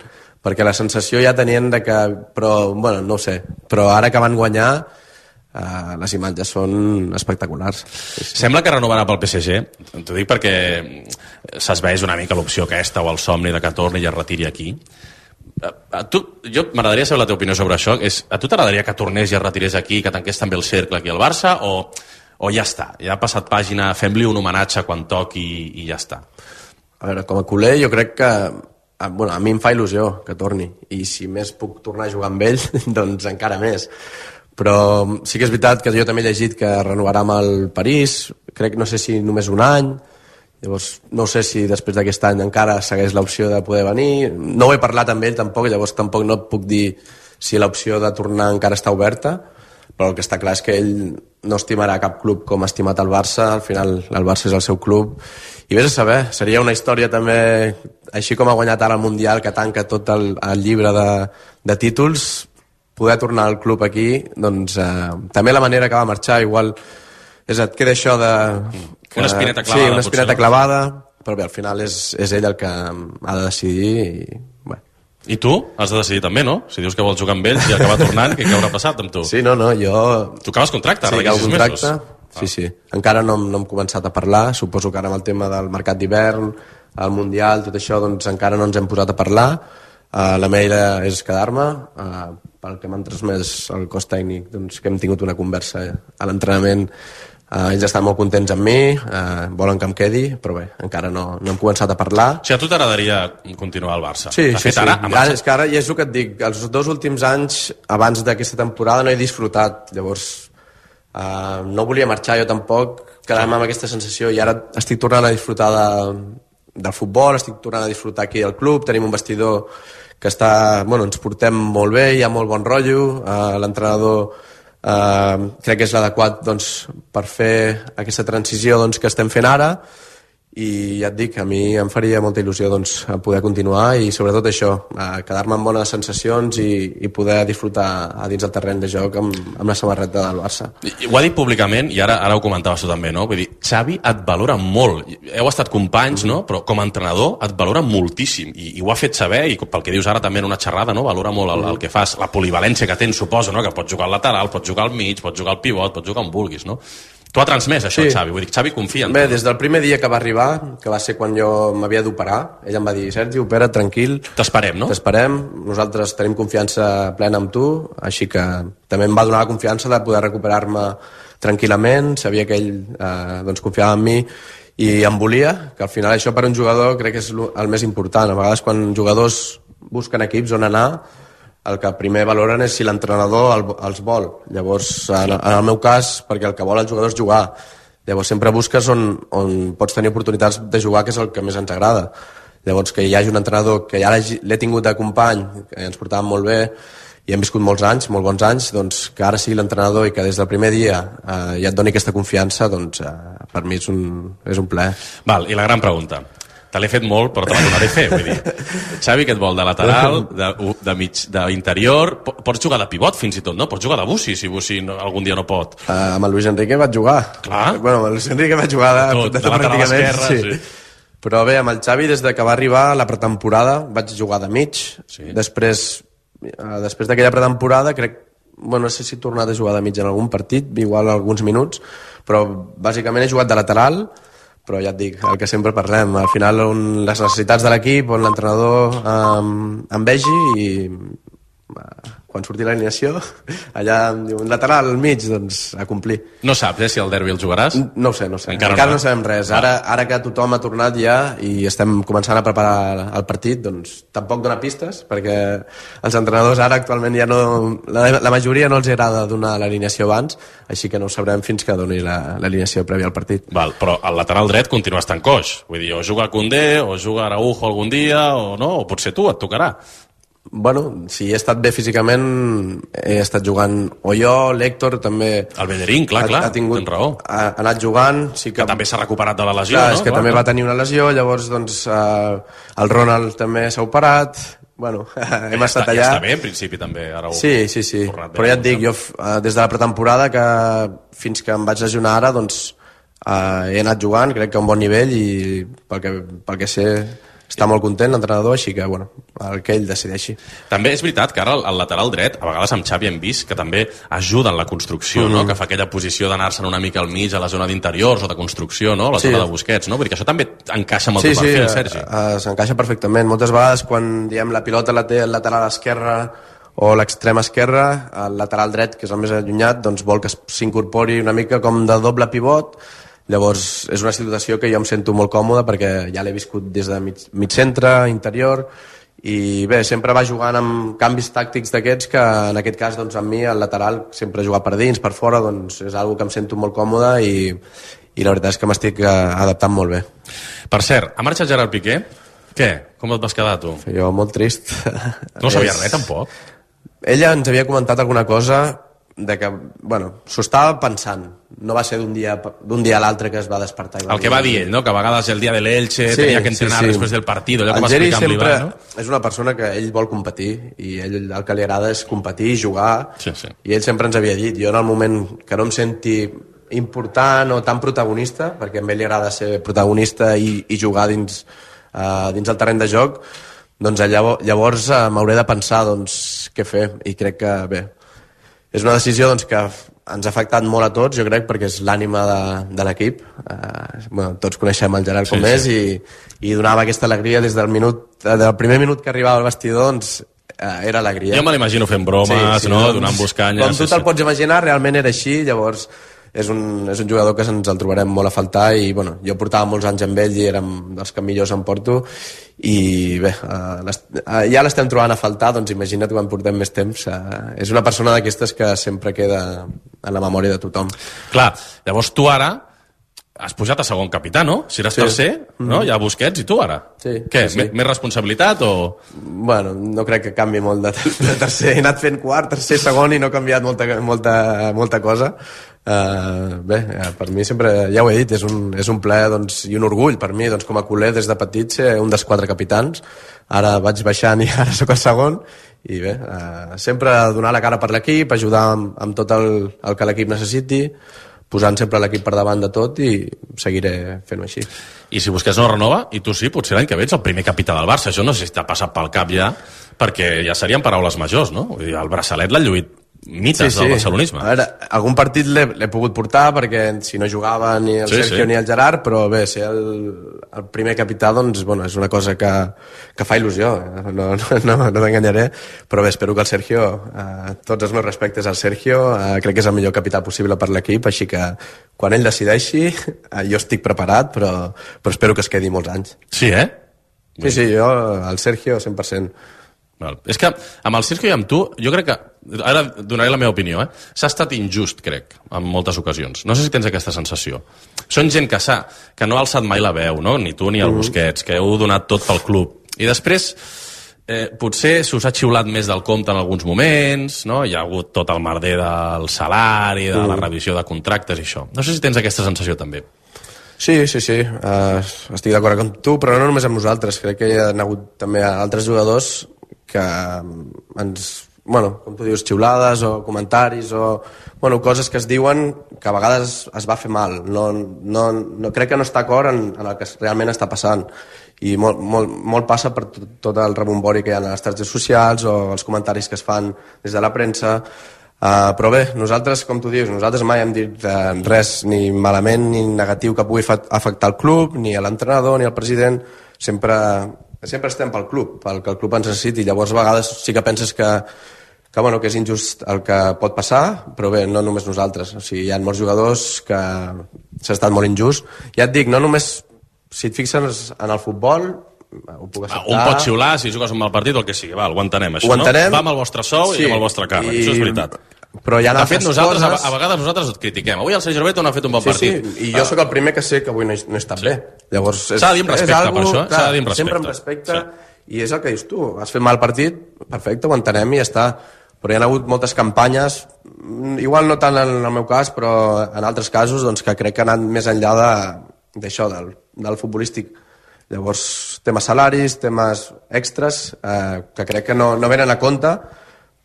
perquè la sensació ja tenien de que, però, bueno, no ho sé, però ara que van guanyar, uh, les imatges són espectaculars. Sí, sí. Sembla que renovarà pel P S G, t'ho dic perquè s'esveeix una mica l'opció aquesta o el somni de que torni i es retiri aquí. A tu, jo m'agradaria saber la teva opinió sobre això. És, a tu t'agradaria que tornés i es retirés aquí, que tanqués també el cercle aquí al Barça, o, o ja està, ja ha passat pàgina, fem-li un homenatge quan toqui i, i ja està? A veure, com a culer jo crec que bueno, a mi em fa il·lusió que torni, i si més puc tornar a jugar amb ell, doncs encara més. Però sí que és veritat que jo també he llegit que renovarà amb el París, crec no sé si només un any. Llavors, no sé si després d'aquest any encara segueix l'opció de poder venir. No ho he parlat amb ell tampoc, llavors tampoc no et puc dir si l'opció de tornar encara està oberta, però el que està clar és que ell no estimarà cap club com ha estimat el Barça, al final el Barça és el seu club, i vés a saber, seria una història també, així com ha guanyat ara el Mundial, que tanca tot el, el llibre de, de títols, poder tornar al club aquí, doncs eh, també la manera que va marxar, igual és, et queda això de... Que, una espineta clavada. Sí, una espineta potser, clavada, però bé, al final és, és ell el que ha de decidir i... Bé. I tu has de decidir també, no? Si dius que vols jugar amb ells i acabar tornant, què haurà passat amb tu? Sí, no, no, jo... Tu acabes contracte, sí, ara d'aquí sis contracte. mesos. Sí, sí. Encara no, no hem començat a parlar, suposo que ara amb el tema del mercat d'hivern, el Mundial, tot això, doncs encara no ens hem posat a parlar. Uh, la meva idea és quedar-me, uh, pel que m'han transmès el cos tècnic, doncs que hem tingut una conversa a l'entrenament. Uh, ells estan molt contents amb mi, uh, volen que em quedi, però bé, encara no, no hem començat a parlar. O sigui, a tu t'agradaria continuar al Barça? Sí, de sí, fet, sí. Ara, ara, és que ara, i és el que et dic, els dos últims anys, abans d'aquesta temporada, no he disfrutat, llavors uh, no volia marxar jo tampoc, quedar-me amb aquesta sensació, i ara estic tornant a disfrutar de, del futbol, estic tornant a disfrutar aquí al club, tenim un vestidor que està, bueno, ens portem molt bé, hi ha molt bon rotllo, uh, l'entrenador Uh, crec que és l'adequat doncs, per fer aquesta transició doncs, que estem fent ara, i ja et dic, a mi em faria molta il·lusió doncs, poder continuar i sobretot això, uh, quedar-me amb bones sensacions i, i poder disfrutar a dins del terreny de joc amb, amb la samarreta del Barça. I, ho ha dit públicament i ara ara ho comentaves tu també, no? Vull dir, Xavi et valora molt, heu estat companys, mm. no? Però com a entrenador et valora moltíssim i, i ho ha fet saber, i pel que dius ara també en una xerrada, no? Valora molt el, el que fas, la polivalència que tens, suposo, no? Que pots jugar al lateral, pots jugar al mig, pots jugar al pivot, pots jugar on vulguis, no? Tu ha transmès això, sí. Xavi, vull dir, Xavi confia en Bé, tu. Des del primer dia que va arribar, que va ser quan jo m'havia d'operar, ell em va dir, Sergi, opera't tranquil. T'esperem, no? T'esperem, nosaltres tenim confiança plena amb tu, així que també em va donar la confiança de poder recuperar-me tranquil·lament, sabia que ell eh, doncs confiava en mi i em volia, que al final això per un jugador crec que és el més important. A vegades quan jugadors busquen equips on anar, el que primer valoren és si l'entrenador el, els vol. Llavors, en, en el meu cas, perquè el que vol el jugador és jugar. Llavors sempre busques on, on pots tenir oportunitats de jugar, que és el que més ens agrada. Llavors, que hi hagi un entrenador que ja l'he tingut de company, que ens portàvem molt bé, i hem viscut molts anys, molt bons anys, doncs que ara sigui l'entrenador i que des del primer dia eh, ja et doni aquesta confiança, doncs eh, per mi és un, és un plaer. Val, i la gran pregunta. te l'he fet molt, però te la tornaré a fer. Vull dir, Xavi, que et vol de lateral, de, de mig, d'interior, pots jugar de pivot fins i tot, no? Pots jugar de Bussi, si Bussi no, algun dia no pot. Uh, amb el Luis Enrique vaig jugar. Clar. Bueno, amb el Luis Enrique vaig jugar de, tot, de, de, de lateral esquerra, sí. sí. Però bé, amb el Xavi, des de que va arribar la pretemporada, vaig jugar de mig. Sí. Després, uh, després d'aquella pretemporada, crec, bueno, no sé si he tornat a jugar de mig en algun partit, igual alguns minuts, però bàsicament he jugat de lateral, però ja et dic, el que sempre parlem, al final on les necessitats de l'equip, on l'entrenador um, em vegi i uh, quan surti l'alineació, allà em diu un lateral al mig, doncs a complir. No saps, eh, si el derbi el jugaràs? No ho sé, no ho sé. Encara, Encara no, no sabem res. Ara, ara que tothom ha tornat ja i estem començant a preparar el partit, doncs tampoc dona pistes, perquè els entrenadors ara actualment ja no... La, la majoria no els agrada donar l'alineació abans, així que no ho sabrem fins que doni l'alineació prèvia al partit. Val, però el lateral dret continua estant coix. Vull dir, o juga Koundé, o juga Araujo algun dia, o no, o potser tu, et tocarà. Bueno, si he estat bé físicament, he estat jugant, o jo, l'Héctor també... El Bellerín, clar, ha, clar, ha tingut, tens raó. Ha, ha anat jugant... Sí que, que també s'ha recuperat de la lesió, clar, no? És que clar, també clar. va tenir una lesió, llavors doncs, eh, el Ronald també s'ha operat... Bueno, hem ja estat està, allà... Ja està bé, en principi, també, Araujo. Sí, sí, sí. Però ja et dic, jo des de la pretemporada que fins que em vaig lesionar ara, doncs eh, he anat jugant, crec que a un bon nivell i pel que, pel que sé... Està molt content l'entrenador, així que, bueno, el que ell decideixi. També és veritat que ara el, el lateral dret, a vegades amb Xavi hem vist que també ajuda en la construcció, mm-hmm. no? Que fa aquella posició d'anar-se'n una mica al mig a la zona d'interiors o de construcció, no? La sí. zona de Busquets, no? Vull dir que això també encaixa amb el sí, teu perfil, sí, Sergi. Sí, s'encaixa perfectament. Moltes vegades quan diem la pilota la té el lateral esquerre o l'extrem esquerre, el lateral dret, que és el més allunyat, doncs vol que s'incorpori una mica com de doble pivot. Llavors és una situació que jo em sento molt còmode perquè ja l'he viscut des de mig, mig centre, interior, i bé, sempre va jugant amb canvis tàctics d'aquests que en aquest cas doncs, amb mi el lateral sempre jugar per dins, per fora, doncs és algo que em sento molt còmode i, i la veritat és que m'estic adaptant molt bé. Per cert, ha marxat Gerard Piqué? Què? Com et vas quedar tu? Jo molt trist. No sabia res tampoc? Ella ens havia comentat alguna cosa de que, bueno, s'ho estava pensant. No va ser d'un dia, d'un dia a l'altre que es va despertar. I va el que va dir ell, no? Que a vegades el dia de l'Elche sí, tenia que entrenar sí, sí. després del partit, allò que va explicar amb l'Ivan, no? És una persona que ell vol competir i ell el que li agrada és competir, jugar, sí, sí. I ell sempre ens havia dit, jo en el moment que no em senti important o tan protagonista, perquè a ell li agrada ser protagonista i, i jugar dins, uh, dins el terreny de joc, doncs llavors, llavors uh, m'hauré de pensar doncs, què fer, i crec que bé, és una decisió doncs, que ens ha afectat molt a tots, jo crec, perquè és l'ànima de, de l'equip. Eh, bueno, tots coneixem el Gerard com sí, és sí. I, i donava aquesta alegria des del minut, del primer minut que arribava al vestidor, doncs eh, era alegria. Jo me l'imagino fent bromes, sí, sí, no? Doncs, donant buscanyes. Com tu sí, te'l sí. pots imaginar, realment era així, llavors és un, és un jugador que ens el trobarem molt a faltar i bueno, jo portava molts anys amb ell i érem dels que millors em porto i bé, uh, uh, ja l'estem trobant a faltar, doncs imagina't quan portem més temps. Uh, és una persona d'aquestes que sempre queda en la memòria de tothom. Clar, llavors tu ara has pujat a segon capità, no? Si eres sí. tercer, mm-hmm. no? Hi ha Busquets i tu ara. Sí, Què? sí, sí. Més responsabilitat o...? Bueno, no crec que canvi molt de, de tercer. He anat fent quart, tercer, segon i no he canviat molta, molta, molta cosa. Uh, bé, per mi sempre, ja ho he dit, és un, és un plaer doncs, i un orgull per mi, doncs, com a culer des de petit ser un dels quatre capitans. Ara vaig baixant i ara sóc el segon i bé, uh, sempre donar la cara per l'equip, ajudar amb, amb tot el, el que l'equip necessiti, posant sempre l'equip per davant de tot i seguiré fent-ho així. I si Busquets no renova, i tu sí, potser l'any que ve ets el primer capità del Barça. Això no sé si t'ha passat pel cap ja, perquè ja serien paraules majors, no? Vull dir, el braçalet l'ha lluït mites sí, sí. del barcelonisme. A veure, algun partit l'he pogut portar perquè si no jugava ni el sí, Sergio sí. ni el Gerard, però bé, ser el, el primer capità doncs, bueno, és una cosa que, que fa il·lusió, no, no, no, no t'enganyaré, però bé, espero que el Sergio, eh, tots els meus respectes al Sergio, eh, crec que és el millor capità possible per l'equip, així que quan ell decideixi, eh, jo estic preparat, però, però espero que es quedi molts anys. Sí, eh? Sí, sí, jo, el Sergio, cent per cent. Val. És que amb el Sergio i amb tu, jo crec que, ara donaré la meva opinió, eh? s'ha estat injust, crec, en moltes ocasions. No sé si tens aquesta sensació. Són gent que s'ha, que no ha alçat mai la veu, no? Ni tu ni el Busquets, que heu donat tot pel club. I després, eh, potser se us ha xiulat més del compte en alguns moments, no? Hi ha hagut tot el merder del salari, de la revisió de contractes i això. No sé si tens aquesta sensació també. Sí, sí, sí, uh, estic d'acord amb tu, però no només amb nosaltres, crec que hi ha hagut també altres jugadors que ens, bueno, com tu dius, xiulades o comentaris o, bueno, coses que es diuen que a vegades es va fer mal, no, no, no crec que no està d'acord en, en el que realment està passant, i molt, molt, molt passa per tot, tot el rebombori que hi ha a les xarxes socials o els comentaris que es fan des de la premsa. Uh, però bé, nosaltres, com tu dius, nosaltres mai hem dit uh, res ni malament ni negatiu que pugui afectar el club, ni a l'entrenador, ni al president. Sempre, sempre estem pel club, pel que el club ens necessiti. Llavors, a vegades sí que penses que, que, bueno, que és injust el que pot passar, però bé, no només nosaltres. O sigui, hi ha molts jugadors que s'ha estat molt injust. Ja et dic, no només, si et fixes en el futbol, ho puc acceptar. Un pot xiular si jugues un mal partit o el que sigui, val, ho entenem, això, ho entenem, no? Va amb el vostre sou sí, i amb el vostre càrrec, i... això és veritat. Però hi ha de fet, nosaltres, coses... a, a vegades nosaltres et critiquem. Avui el Sergi Roberto no ha fet un bon sí, partit. Sí, i jo sóc el primer que sé que avui no he, no he estat sí. bé. Llavors, és, s'ha de dir amb respecte, algo, per això, s'ha de dir amb respecte. Sempre amb respecte, sí. I és el que dius tu, has fet mal partit, perfecte, ho entenem i ja està. Però hi ha hagut moltes campanyes, igual no tant en el meu cas, però en altres casos, doncs, que crec que han anat més enllà d'això, del, del futbolístic. Llavors, temes salaris, temes extras, eh, que crec que no, no venen a compte,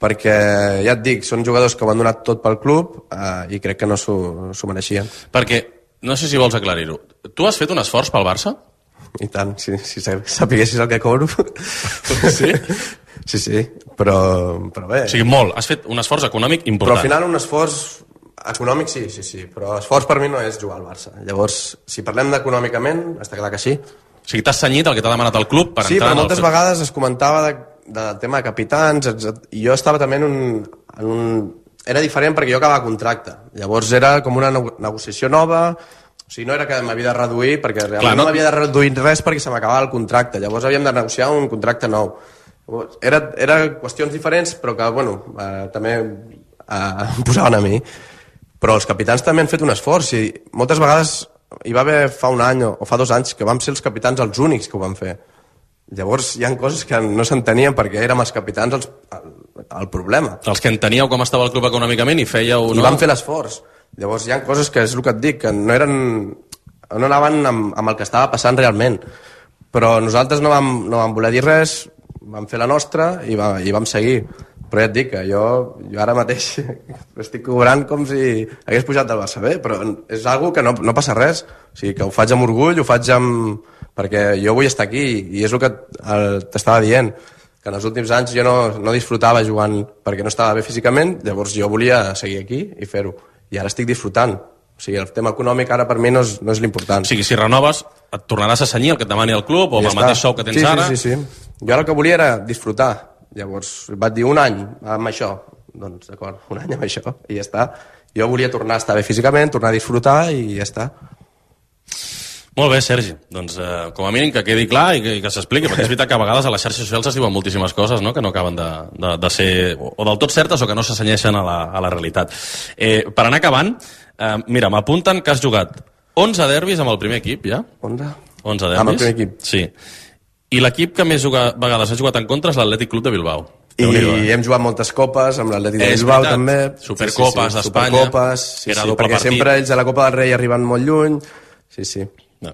perquè, ja et dic, són jugadors que ho han donat tot pel club eh, i crec que no s'ho mereixien. Perquè, no sé si vols aclarir-ho, tu has fet un esforç pel Barça? I tant, si, si sapiguessis el que cobro. Sí? Sí, sí, però, però bé. O sigui, molt, has fet un esforç econòmic important. Però al final un esforç econòmic sí, sí, sí, però esforç per mi no és jugar al Barça. Llavors, si parlem d'econòmicament, està clar que sí. O sigui, t'has cenyit el que t'ha demanat el club per sí, entrar però en el... moltes fet... vegades es comentava de, del tema de capitans, i jo estava també en un, en un... Era diferent perquè jo acabava contracte. Llavors era com una negociació nova, o sigui, no era que m'havia de reduir, perquè realment Clar, no, no m'havia de reduir res perquè se m'acabava el contracte. Llavors havíem de negociar un contracte nou. Era, era qüestions diferents, però que, bueno, eh, també eh, em posaven a mi. Però els capitans també han fet un esforç, i moltes vegades hi va haver fa un any o fa dos anys que vam ser els capitans els únics que ho van fer. Llavors hi ha coses que no s'entenien perquè érem els capitans els, el, el problema. Els que enteníeu com estava el club econòmicament i fèieu... I no? Vam fer l'esforç. Llavors hi ha coses que és el que et dic, que no eren no anaven amb, amb el que estava passant realment. Però nosaltres no vam, no vam voler dir res, vam fer la nostra i, va, i vam seguir. Però ja et dic que jo, jo ara mateix estic cobrant com si hagués pujat del Barça B, però és algo que no, no passa res. O sigui, que ho faig amb orgull, ho faig amb... perquè jo vull estar aquí, i és el que t'estava dient, que en els últims anys jo no, no disfrutava jugant perquè no estava bé físicament, llavors jo volia seguir aquí i fer-ho. I ara estic disfrutant. O sigui, el tema econòmic ara per mi no és, no és l'important. O sigui, si renoves, et tornaràs a cenyir el que et demani el club o amb el mateix sou que tens sí, ara? Sí, sí, sí. Jo ara el que volia era disfrutar. Llavors vaig dir un any amb això, doncs d'acord, un any amb això i ja està. Jo volia tornar a estar bé físicament, tornar a disfrutar i ja està. Molt bé, Sergi, doncs eh, com a mínim que quedi clar i que, i que s'expliqui, perquè és veritat que a vegades a les xarxes socials es diuen moltíssimes coses, no?, que no acaben de, de, de ser o, o del tot certes o que no s'assenyeixen a, la, a la realitat. Eh, per anar acabant, eh, mira, m'apunten que has jugat onze derbis amb el primer equip, ja? onze? onze derbis. Amb el primer equip. Sí. I l'equip que més juga, vegades ha jugat en contra és l'Atlètic Club de Bilbao. I hem jugat moltes copes amb l'Atlètic de Bilbao també. Supercopes sí, sí, sí. d'Espanya. Supercopes, sí, sí, perquè partit. Sempre ells a la Copa del Rei arriben molt lluny. Sí, sí. No.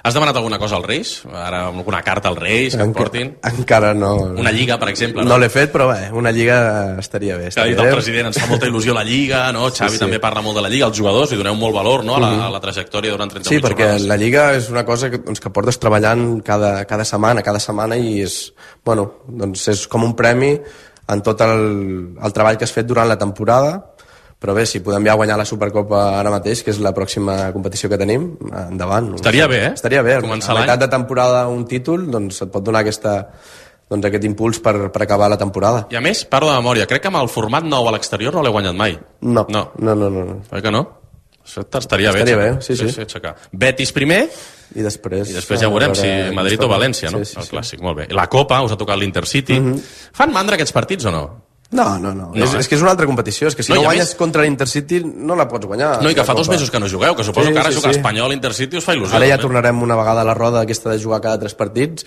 Has demanat alguna cosa als Reis? Ara alguna carta als Reis que Enca, em portin? Encara no. Una lliga, per exemple, no? No l'he fet, però bé, una lliga estaria bé. Que ha dit el president, ens fa molta il·lusió la lliga, no? Xavi sí, sí. també parla molt de la lliga, els jugadors, li doneu molt valor, no?, a la, a la trajectòria durant trenta-vuit sí, perquè jornades. La lliga és una cosa que, doncs, que portes treballant cada, cada setmana, cada setmana, i és, bueno, doncs és com un premi en tot el, el treball que has fet durant la temporada. Però bé, si podem ja guanyar la Supercopa ara mateix, que és la pròxima competició que tenim, endavant. Estaria bé, eh? Estaria bé. Començar a meitat de temporada un títol, doncs et pot donar aquesta, doncs, aquest impuls per, per acabar la temporada. I a més, parlo de memòria, crec que amb el format nou a l'exterior no l'he guanyat mai. No, no, no, no. no. Oi que no? Això estaria bé. Estaria bé, sí, sí. sí, sí Betis primer, i després, i després ja veurem si Madrid o València, no? Sí, sí, el clàssic, sí. Molt bé. La Copa, us ha tocat l'Intercity. Mm -hmm. Fan mandra aquests partits o no? No, no, no. no és, eh? és que és una altra competició. És que si no, no guanyes més... contra l'Intercity no la pots guanyar. No, i que fa dos mesos que no jugueu, que suposo sí, que ara sí, jugar sí. Espanyol Intercity us fa il·lusió. Ara ja també. Tornarem una vegada a la roda aquesta de jugar cada tres partits.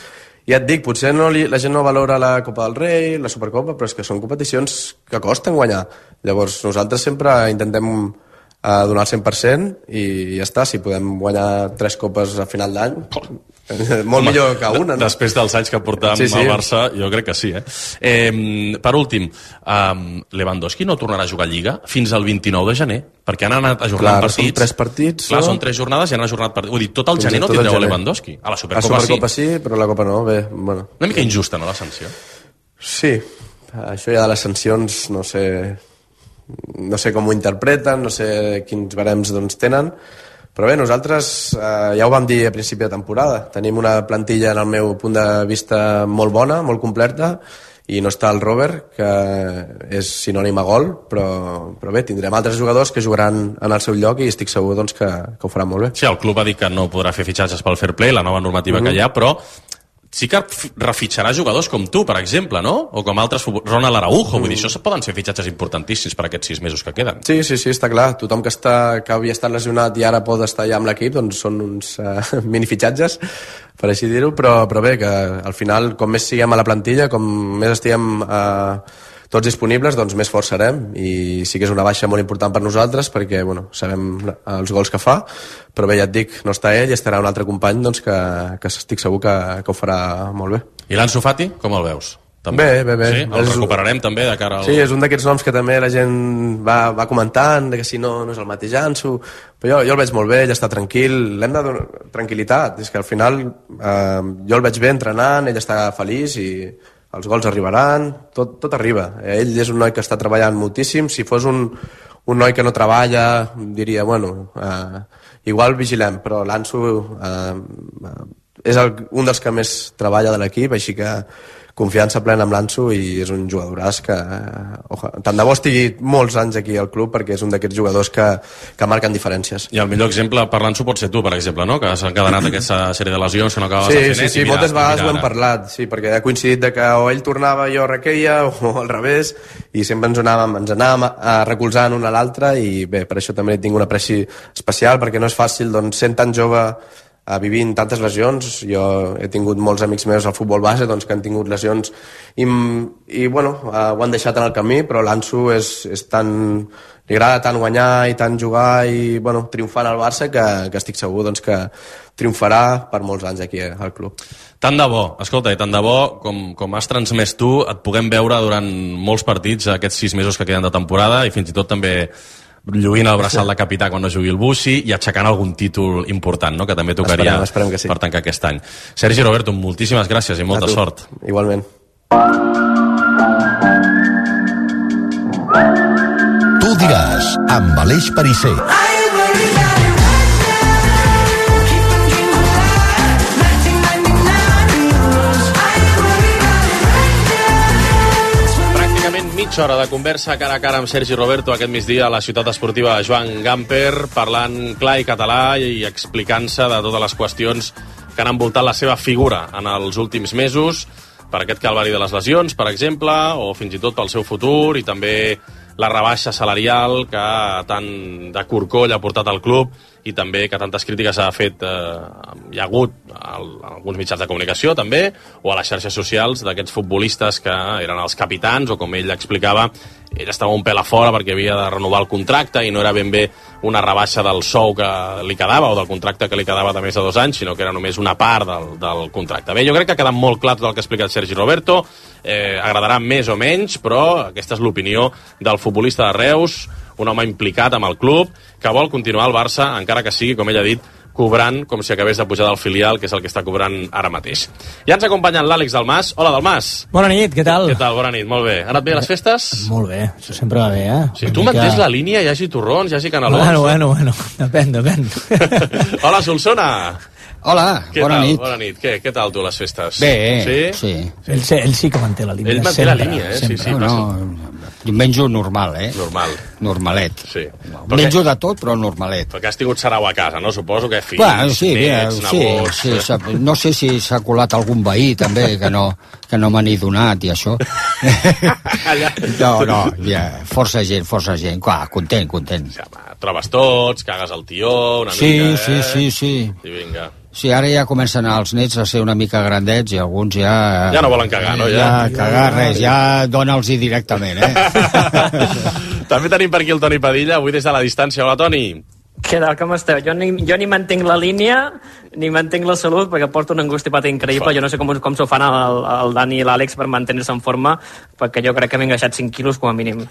I et dic, potser no li, la gent no valora la Copa del Rei, la Supercopa, però és que són competicions que costen guanyar. Llavors nosaltres sempre intentem a donar el cent per cent i ja està, si podem guanyar tres copes a final d'any molt Home, millor que una, no? Després dels anys que portam sí, sí. al Barça, jo crec que sí, eh? eh per últim, um, Lewandowski no tornarà a jugar a Lliga fins al vint-i-nou de gener, perquè han anat ajornant Clar, partits. Són tres partits. Clar, no? són tres jornades i han ajornat partits. Vull dir, tot el gener no tindreu a Lewandowski. A la Supercopa, a Supercopa sí. sí, però la Copa no. Bé, bueno. Una mica injusta, no, la sanció? Sí, això ja de les sancions, no sé... no sé com ho interpreten, no sé quins barems doncs, tenen, però bé, nosaltres eh, ja ho vam dir a principi de temporada, tenim una plantilla en el meu punt de vista molt bona, molt completa, i no està el Robert, que és sinònim a gol, però, però bé, tindrem altres jugadors que jugaran en el seu lloc i estic segur doncs, que, que ho faran molt bé. Sí, el club ha dit que no podrà fer fitxatges pel fair play, la nova normativa mm-hmm. que hi ha, però sí que refitxarà jugadors com tu, per exemple, no? O com altres, Ronald Araujo, mm. vull dir, això poden ser fitxatges importantíssims per aquests sis mesos que queden. Sí, sí, sí, està clar. Tothom que, està, que havia estat lesionat i ara pot estar ja amb l'equip, doncs són uns uh, minifitxatges, per així dir-ho, però, però bé, que al final, com més siguem a la plantilla, com més estiguem uh, tots disponibles, doncs més forts serem, i sí que és una baixa molt important per nosaltres, perquè, bueno, sabem els gols que fa, però bé, ja et dic, no està ell i estarà un altre company doncs, que, que estic segur que, que ho farà molt bé. I l'Ansu Fati, com el veus? També. Bé, bé, bé. Sí, el és... recuperarem també de cara al... Sí, és un d'aquests noms que també la gent va, va comentant, que si no, no és el mateix Ansu, però jo, jo el veig molt bé, ell està tranquil, l'hem de donar tranquil·litat, és que al final eh, jo el veig bé entrenant, ell està feliç i els gols arribaran, tot, tot arriba. Ell és un noi que està treballant moltíssim, si fos un, un noi que no treballa, diria, bueno, eh, igual vigilem, però l'Ansu eh, és el, un dels que més treballa de l'equip, així que confiança plena amb l'Ansu i és un jugadoràs que oja, tant de bo estigui molts anys aquí al club perquè és un d'aquests jugadors que, que marquen diferències. I el millor exemple per l'Ansu pot ser tu, per exemple, no? Que s'ha encadenat aquesta sèrie de lesions que no acabaves sí, de fer sí, net sí, i mira, moltes vegades mira ho hem parlat, sí, perquè ha coincidit de que o ell tornava i jo requeia o al revés i sempre ens anàvem, ens anàvem a recolzant un a l'altre i bé, per això també tinc un apreci especial perquè no és fàcil, doncs, sent tan jove a vivint tantes lesions, jo he tingut molts amics meus al futbol base doncs, que han tingut lesions i, i bueno, uh, ho han deixat en el camí, però l'Ansu és, és tan, li agrada tant guanyar i tant jugar i bueno, triomfar al Barça que, que estic segur doncs, que triomfarà per molts anys aquí al club. Tant de bo, escolta, i tant de bo com, com has transmès tu, et puguem veure durant molts partits aquests sis mesos que queden de temporada i fins i tot també lluint el braçal de capità quan no jugui el Bussi i aixecant algun títol important, no? Que també tocaria esperem, esperem que sí. Per tancar aquest any. Sergi Roberto, moltíssimes gràcies i molta sort. Igualment. Tu diràs, amb Aleix Perisser. Mitja hora de conversa cara a cara amb Sergi Roberto aquest migdia a la ciutat esportiva Joan Gamper, parlant clar i català i explicant-se de totes les qüestions que han envoltat la seva figura en els últims mesos, per aquest calvari de les lesions, per exemple, o fins i tot pel seu futur, i també la rebaixa salarial que tant de corcoll ha portat al club i també que tantes crítiques ha fet eh, hi ha hagut al, alguns mitjans de comunicació també, o a les xarxes socials d'aquests futbolistes que eren els capitans o com ell explicava, ell estava un pèl a fora perquè havia de renovar el contracte i no era ben bé una rebaixa del sou que li quedava o del contracte que li quedava de més de dos anys, sinó que era només una part del, del contracte. Bé, jo crec que ha quedat molt clar tot el que ha explicat Sergi Roberto, eh, agradarà més o menys, però aquesta és l'opinió del futbolista de Reus, un home implicat amb el club, que vol continuar al Barça, encara que sigui, com ell ha dit, cobrant com si acabés de pujar del filial, que és el que està cobrant ara mateix. Ja ens acompanyen l'Àlex Dalmas. Hola, Dalmas. Bona nit, què tal? Què tal? Bona nit, molt bé. Ha anat bé les festes? Molt bé, això sempre va bé, eh? Si tu mantens la línia, hi hagi torrons, hi hagi canelons... Bueno, bueno, bueno, depèn, depèn. Hola, Solsona. Hola, què bona tal? nit. Bona nit. Què, què tal tu, les festes? Bé, sí. sí. Ell, ell sí que manté la línia. Ell manté sempre, la línia, eh? Sempre. Sí, sí, no, jo menjo normal, eh? Normal. Normalet. Sí. Menjo de tot, però normalet. Perquè has tingut sarau a casa, no? Suposo que fills, bueno, sí, nets, sí, nebots... Sí, sí, no sé si s'ha colat algun veí, també, que no, que no me n'he donat i això. no, no, ja, força gent, força gent. Clar, content, content. Ja, va, trobes tots, cagues el tió, una sí, mica, sí, eh? Sí, sí, sí. I vinga. Sí, ara ja comencen els nets a ser una mica grandets i alguns ja... Ja no volen cagar, no? Ja, ja cagar res, ja dona'ls-hi directament, eh? També tenim per aquí el Toni Padilla, avui des de la distància. Hola, Toni. Què tal, com esteu? Jo ni, jo ni mantenc la línia, ni mantenc la salut, perquè porto una angústia pata increïble. Jo no sé com, com s'ho fan el, el Dani i l'Àlex per mantenir-se en forma, perquè jo crec que m'he engreixat cinc quilos com a mínim.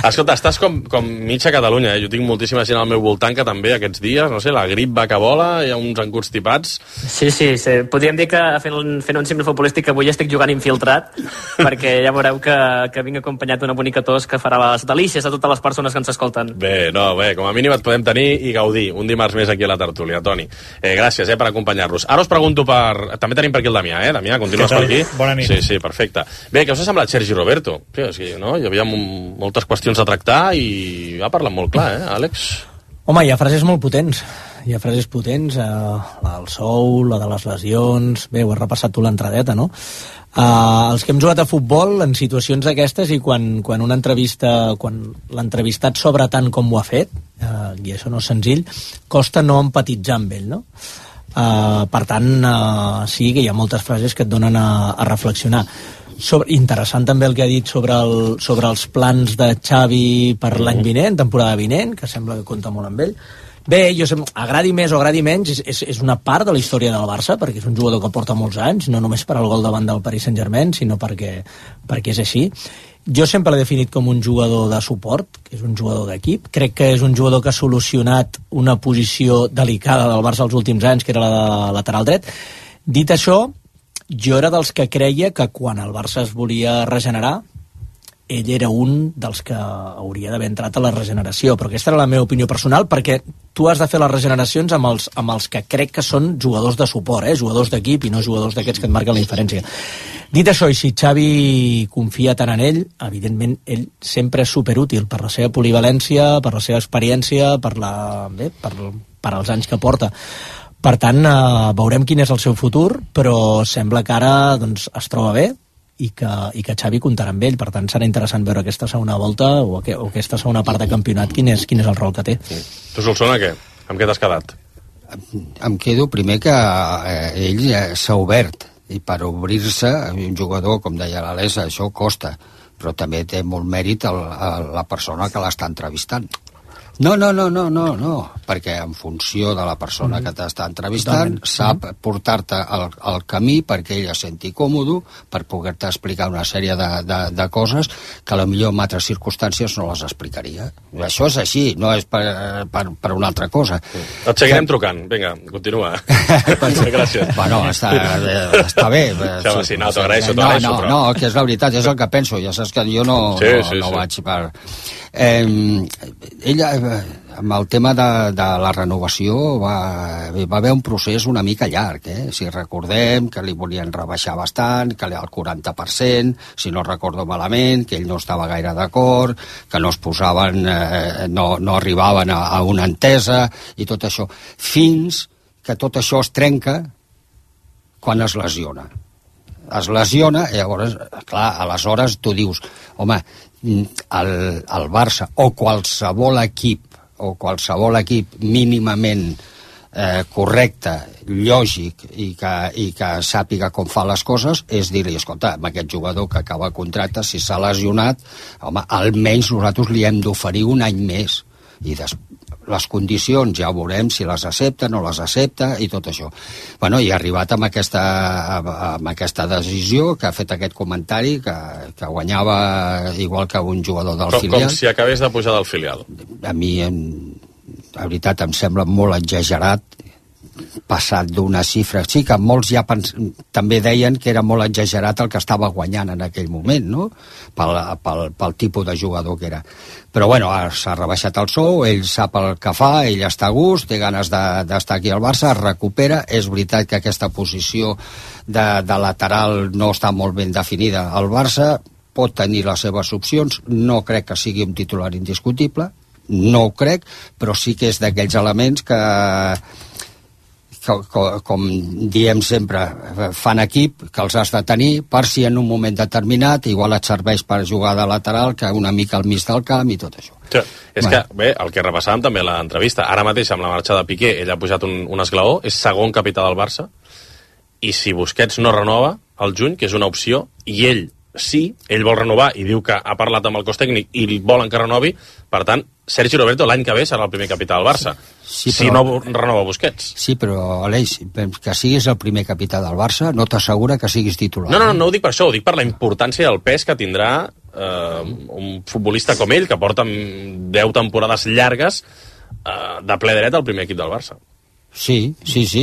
Escolta, estàs com, com mitja Catalunya, eh? Jo tinc moltíssima gent al meu voltant que també aquests dies, no sé, la grip va que vola, hi ha uns encostipats. Sí, sí, sí. Podríem dir que fent un, fent un símbol futbolístic avui estic jugant infiltrat, perquè ja veureu que, que vinc acompanyat d'una bonica tos que farà les delícies a totes les persones que ens escolten. Bé, no, bé, com a mínim et podem tenir i gaudir un dimarts més aquí a la tertúlia, Toni. Eh, gràcies eh, per acompanyar-nos. Ara us pregunto per... També tenim per aquí el Damià, eh? Damià, continues per aquí? Bona nit. Sí, sí, perfecte. Bé, què us ha semblat Sergi Roberto? Sí, és que, no? Hi havia moltes qüestions a tractar i ha parlat molt clar, eh, Àlex? Home, hi ha frases molt potents. Hi ha frases potents, eh, la del sou, la de les lesions... Bé, ho has repassat tu l'entradeta, no? Uh, els que hem jugat a futbol en situacions d'aquestes i quan, quan una entrevista quan l'entrevistat s'obre tant com ho ha fet, uh, i això no és senzill, costa no empatitzar amb ell, no? Uh, per tant, uh, sí que hi ha moltes frases que et donen a, a reflexionar. Sobre, interessant també el que ha dit sobre, el, sobre els plans de Xavi per l'any vinent, temporada vinent, que sembla que compta molt amb ell. Bé, jo sé, agradi més o agradi menys, és, és, és una part de la història del Barça, perquè és un jugador que porta molts anys, no només per al gol davant del Paris Saint-Germain, sinó perquè, perquè és així. Jo sempre l'he definit com un jugador de suport, que és un jugador d'equip. Crec que és un jugador que ha solucionat una posició delicada del Barça els últims anys, que era la de lateral dret. Dit això, jo era dels que creia que quan el Barça es volia regenerar, ell era un dels que hauria d'haver entrat a la regeneració, però aquesta era la meva opinió personal, perquè tu has de fer les regeneracions amb els, amb els que crec que són jugadors de suport, eh? Jugadors d'equip i no jugadors d'aquests que et marquen la diferència. Dit això, i si Xavi confia tant en ell, evidentment ell sempre és superútil per la seva polivalència, per la seva experiència, per, la, bé, per, per als anys que porta. Per tant, eh, veurem quin és el seu futur, però sembla que ara doncs, es troba bé, i que, i que Xavi comptarà amb ell. Per tant, serà interessant veure aquesta segona volta o, que, o aquesta segona part de campionat, quin és, quin és el rol que té. Sí. Tu, Solsona, què? Amb què t'has quedat? Em quedo primer que eh, ell eh, s'ha obert, i per obrir-se, un jugador, com deia l'Alesa, això costa, però també té molt mèrit el, el, la persona que l'està entrevistant. No, no, no, no, no, no, perquè en funció de la persona que t'està entrevistant sap portar-te al, al camí perquè ell es senti còmode, per poder-te explicar una sèrie de, de, de coses que potser en altres circumstàncies no les explicaria. Això és així, no és per, per, per una altra cosa. Et seguirem que... trucant. Vinga, continua. Gràcies. Bueno, està, està bé. Sí, home, sí, no, t'agraeixo, no, t'agraeixo, no, però... no, que és la veritat, és el que penso. Ja saps que jo no, sí, no, sí, no sí. vaig per... Eh, ella, amb el tema de, de la renovació va, va haver un procés una mica llarg, eh? Si recordem que li volien rebaixar bastant, que al quaranta per cent, si no recordo malament, que ell no estava gaire d'acord, que no es posaven, eh, no, no arribaven a, a una entesa i tot això, fins que tot això es trenca quan es lesiona. Es lesiona i llavors, clar, aleshores tu dius, home, el, el Barça o qualsevol equip o qualsevol equip mínimament eh, correcte, lògic i que, i que sàpiga com fa les coses és dir-li, escolta, amb aquest jugador que acaba el contracte, si s'ha lesionat, home, almenys nosaltres li hem d'oferir un any més i després les condicions ja veurem si les accepta, no les accepta i tot això. Bueno, i ha arribat amb aquesta, amb aquesta decisió que ha fet aquest comentari que, que guanyava igual que un jugador del com, filial. Com si acabés de pujar del filial. A mi, en, la veritat, em sembla molt exagerat passat d'una xifra. Sí que molts ja pens... també deien que era molt exagerat el que estava guanyant en aquell moment, no? Pel, pel, pel tipus de jugador que era. Però bueno, s'ha rebaixat el sou, ell sap el que fa, ell està a gust, té ganes d'estar de, aquí al Barça, es recupera. És veritat que aquesta posició de, de lateral no està molt ben definida al Barça, pot tenir les seves opcions, no crec que sigui un titular indiscutible, no ho crec, però sí que és d'aquells elements que... Com, com diem sempre, fan equip, que els has de tenir per si en un moment determinat igual et serveix per jugar de lateral, que una mica al mig del camp i tot això. Sí, és bueno. que, bé, el que repassàvem també a l'entrevista, ara mateix amb la marxa de Piqué, ell ha pujat un, un esglaó, és segon capità del Barça, i si Busquets no renova al juny, que és una opció, i ell sí, ell vol renovar i diu que ha parlat amb el cos tècnic i volen que renovi, per tant, Sergi Roberto l'any que ve serà el primer capità del Barça, sí, si però... no renova Busquets. Sí, però, Aleix, que siguis el primer capità del Barça no t'assegura que siguis titular. No, no, no ho dic per això, ho dic per la importància i el pes que tindrà eh, un futbolista com ell, que porta deu temporades llargues eh, de ple dret al primer equip del Barça. Sí, sí, sí,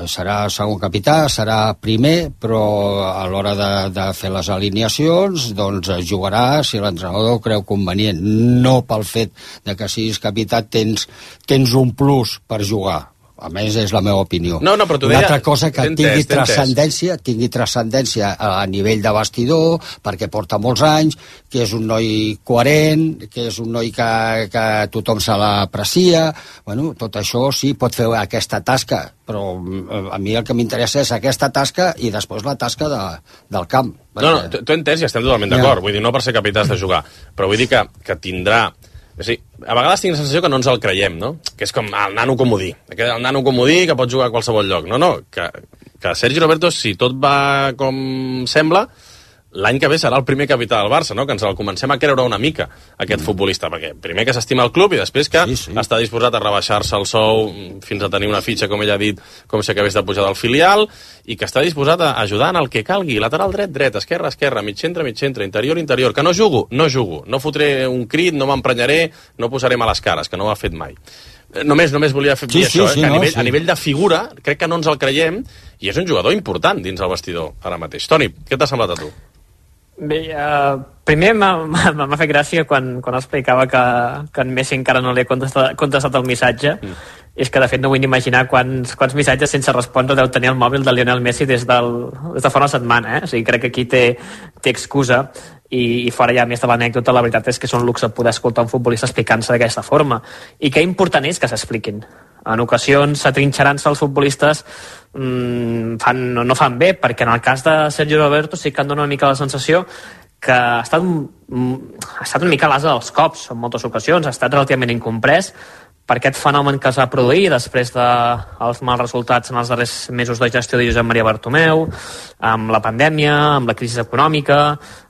serà segon capità, serà primer, però a l'hora de, de fer les alineacions doncs jugarà si l'entrenador creu convenient, no pel fet de que siguis capità tens, tens un plus per jugar. A més, és la meva opinió. No, no, però t'ho deia... Una altra cosa que tingui transcendència, tingui transcendència a nivell de vestidor, perquè porta molts anys, que és un noi coherent, que és un noi que, que tothom se l'aprecia. Bueno, tot això sí, pot fer aquesta tasca, però a mi el que m'interessa és aquesta tasca i després la tasca de, del camp. Perquè... No, no, t'ho he entès i estem totalment d'acord. Ja. Vull dir, no per ser capità has de jugar, però vull dir que, que tindrà... Sí, a vegades tinc la sensació que no ens el creiem, no? Que és com el nano comodí. El nano comodí que pot jugar a qualsevol lloc. No, no, que, que Sergi Roberto, si tot va com sembla, l'any que ve serà el primer capità del Barça, no? Que ens el comencem a creure una mica, aquest mm. futbolista, perquè primer que s'estima el club i després que sí, sí. està disposat a rebaixar-se el sou fins a tenir una fitxa, com ell ha dit, com si acabés de pujar del filial, i que està disposat a ajudar en el que calgui, lateral dret, dret, esquerra, esquerra, mig centre, mig centre, interior, interior, que no jugo, no jugo, no fotré un crit, no m'emprenyaré, no posaré males cares, que no ho ha fet mai. Només, només volia fer sí, això, sí, eh? sí, que a, nivell, no, sí. a nivell de figura crec que no ens el creiem i és un jugador important dins el vestidor ara mateix. Toni, què t'ha semblat a tu? Bé, uh, primer m'ha fet gràcia quan, quan explicava que, que en Messi encara no li ha contestat, contestat el missatge. Mm. És que de fet no vull ni imaginar quants, quants missatges sense respondre deu tenir el mòbil de Lionel Messi des, del, des de fa una setmana, eh? O sigui, crec que aquí té, té excusa i, i fora ja més de l'anècdota, la veritat és que és un luxe poder escoltar un futbolista explicant-se d'aquesta forma i que important és que s'expliquin. En ocasions s'atrinxerant-se els futbolistes mmm, fan, no, no fan bé, perquè en el cas de Sergio Roberto sí que em dona una mica la sensació que ha estat, ha estat una mica l'asa dels cops en moltes ocasions, ha estat relativament incomprès per aquest fenomen que es va produir després dels mals resultats en els darrers mesos de gestió de Josep Maria Bartomeu, amb la pandèmia, amb la crisi econòmica,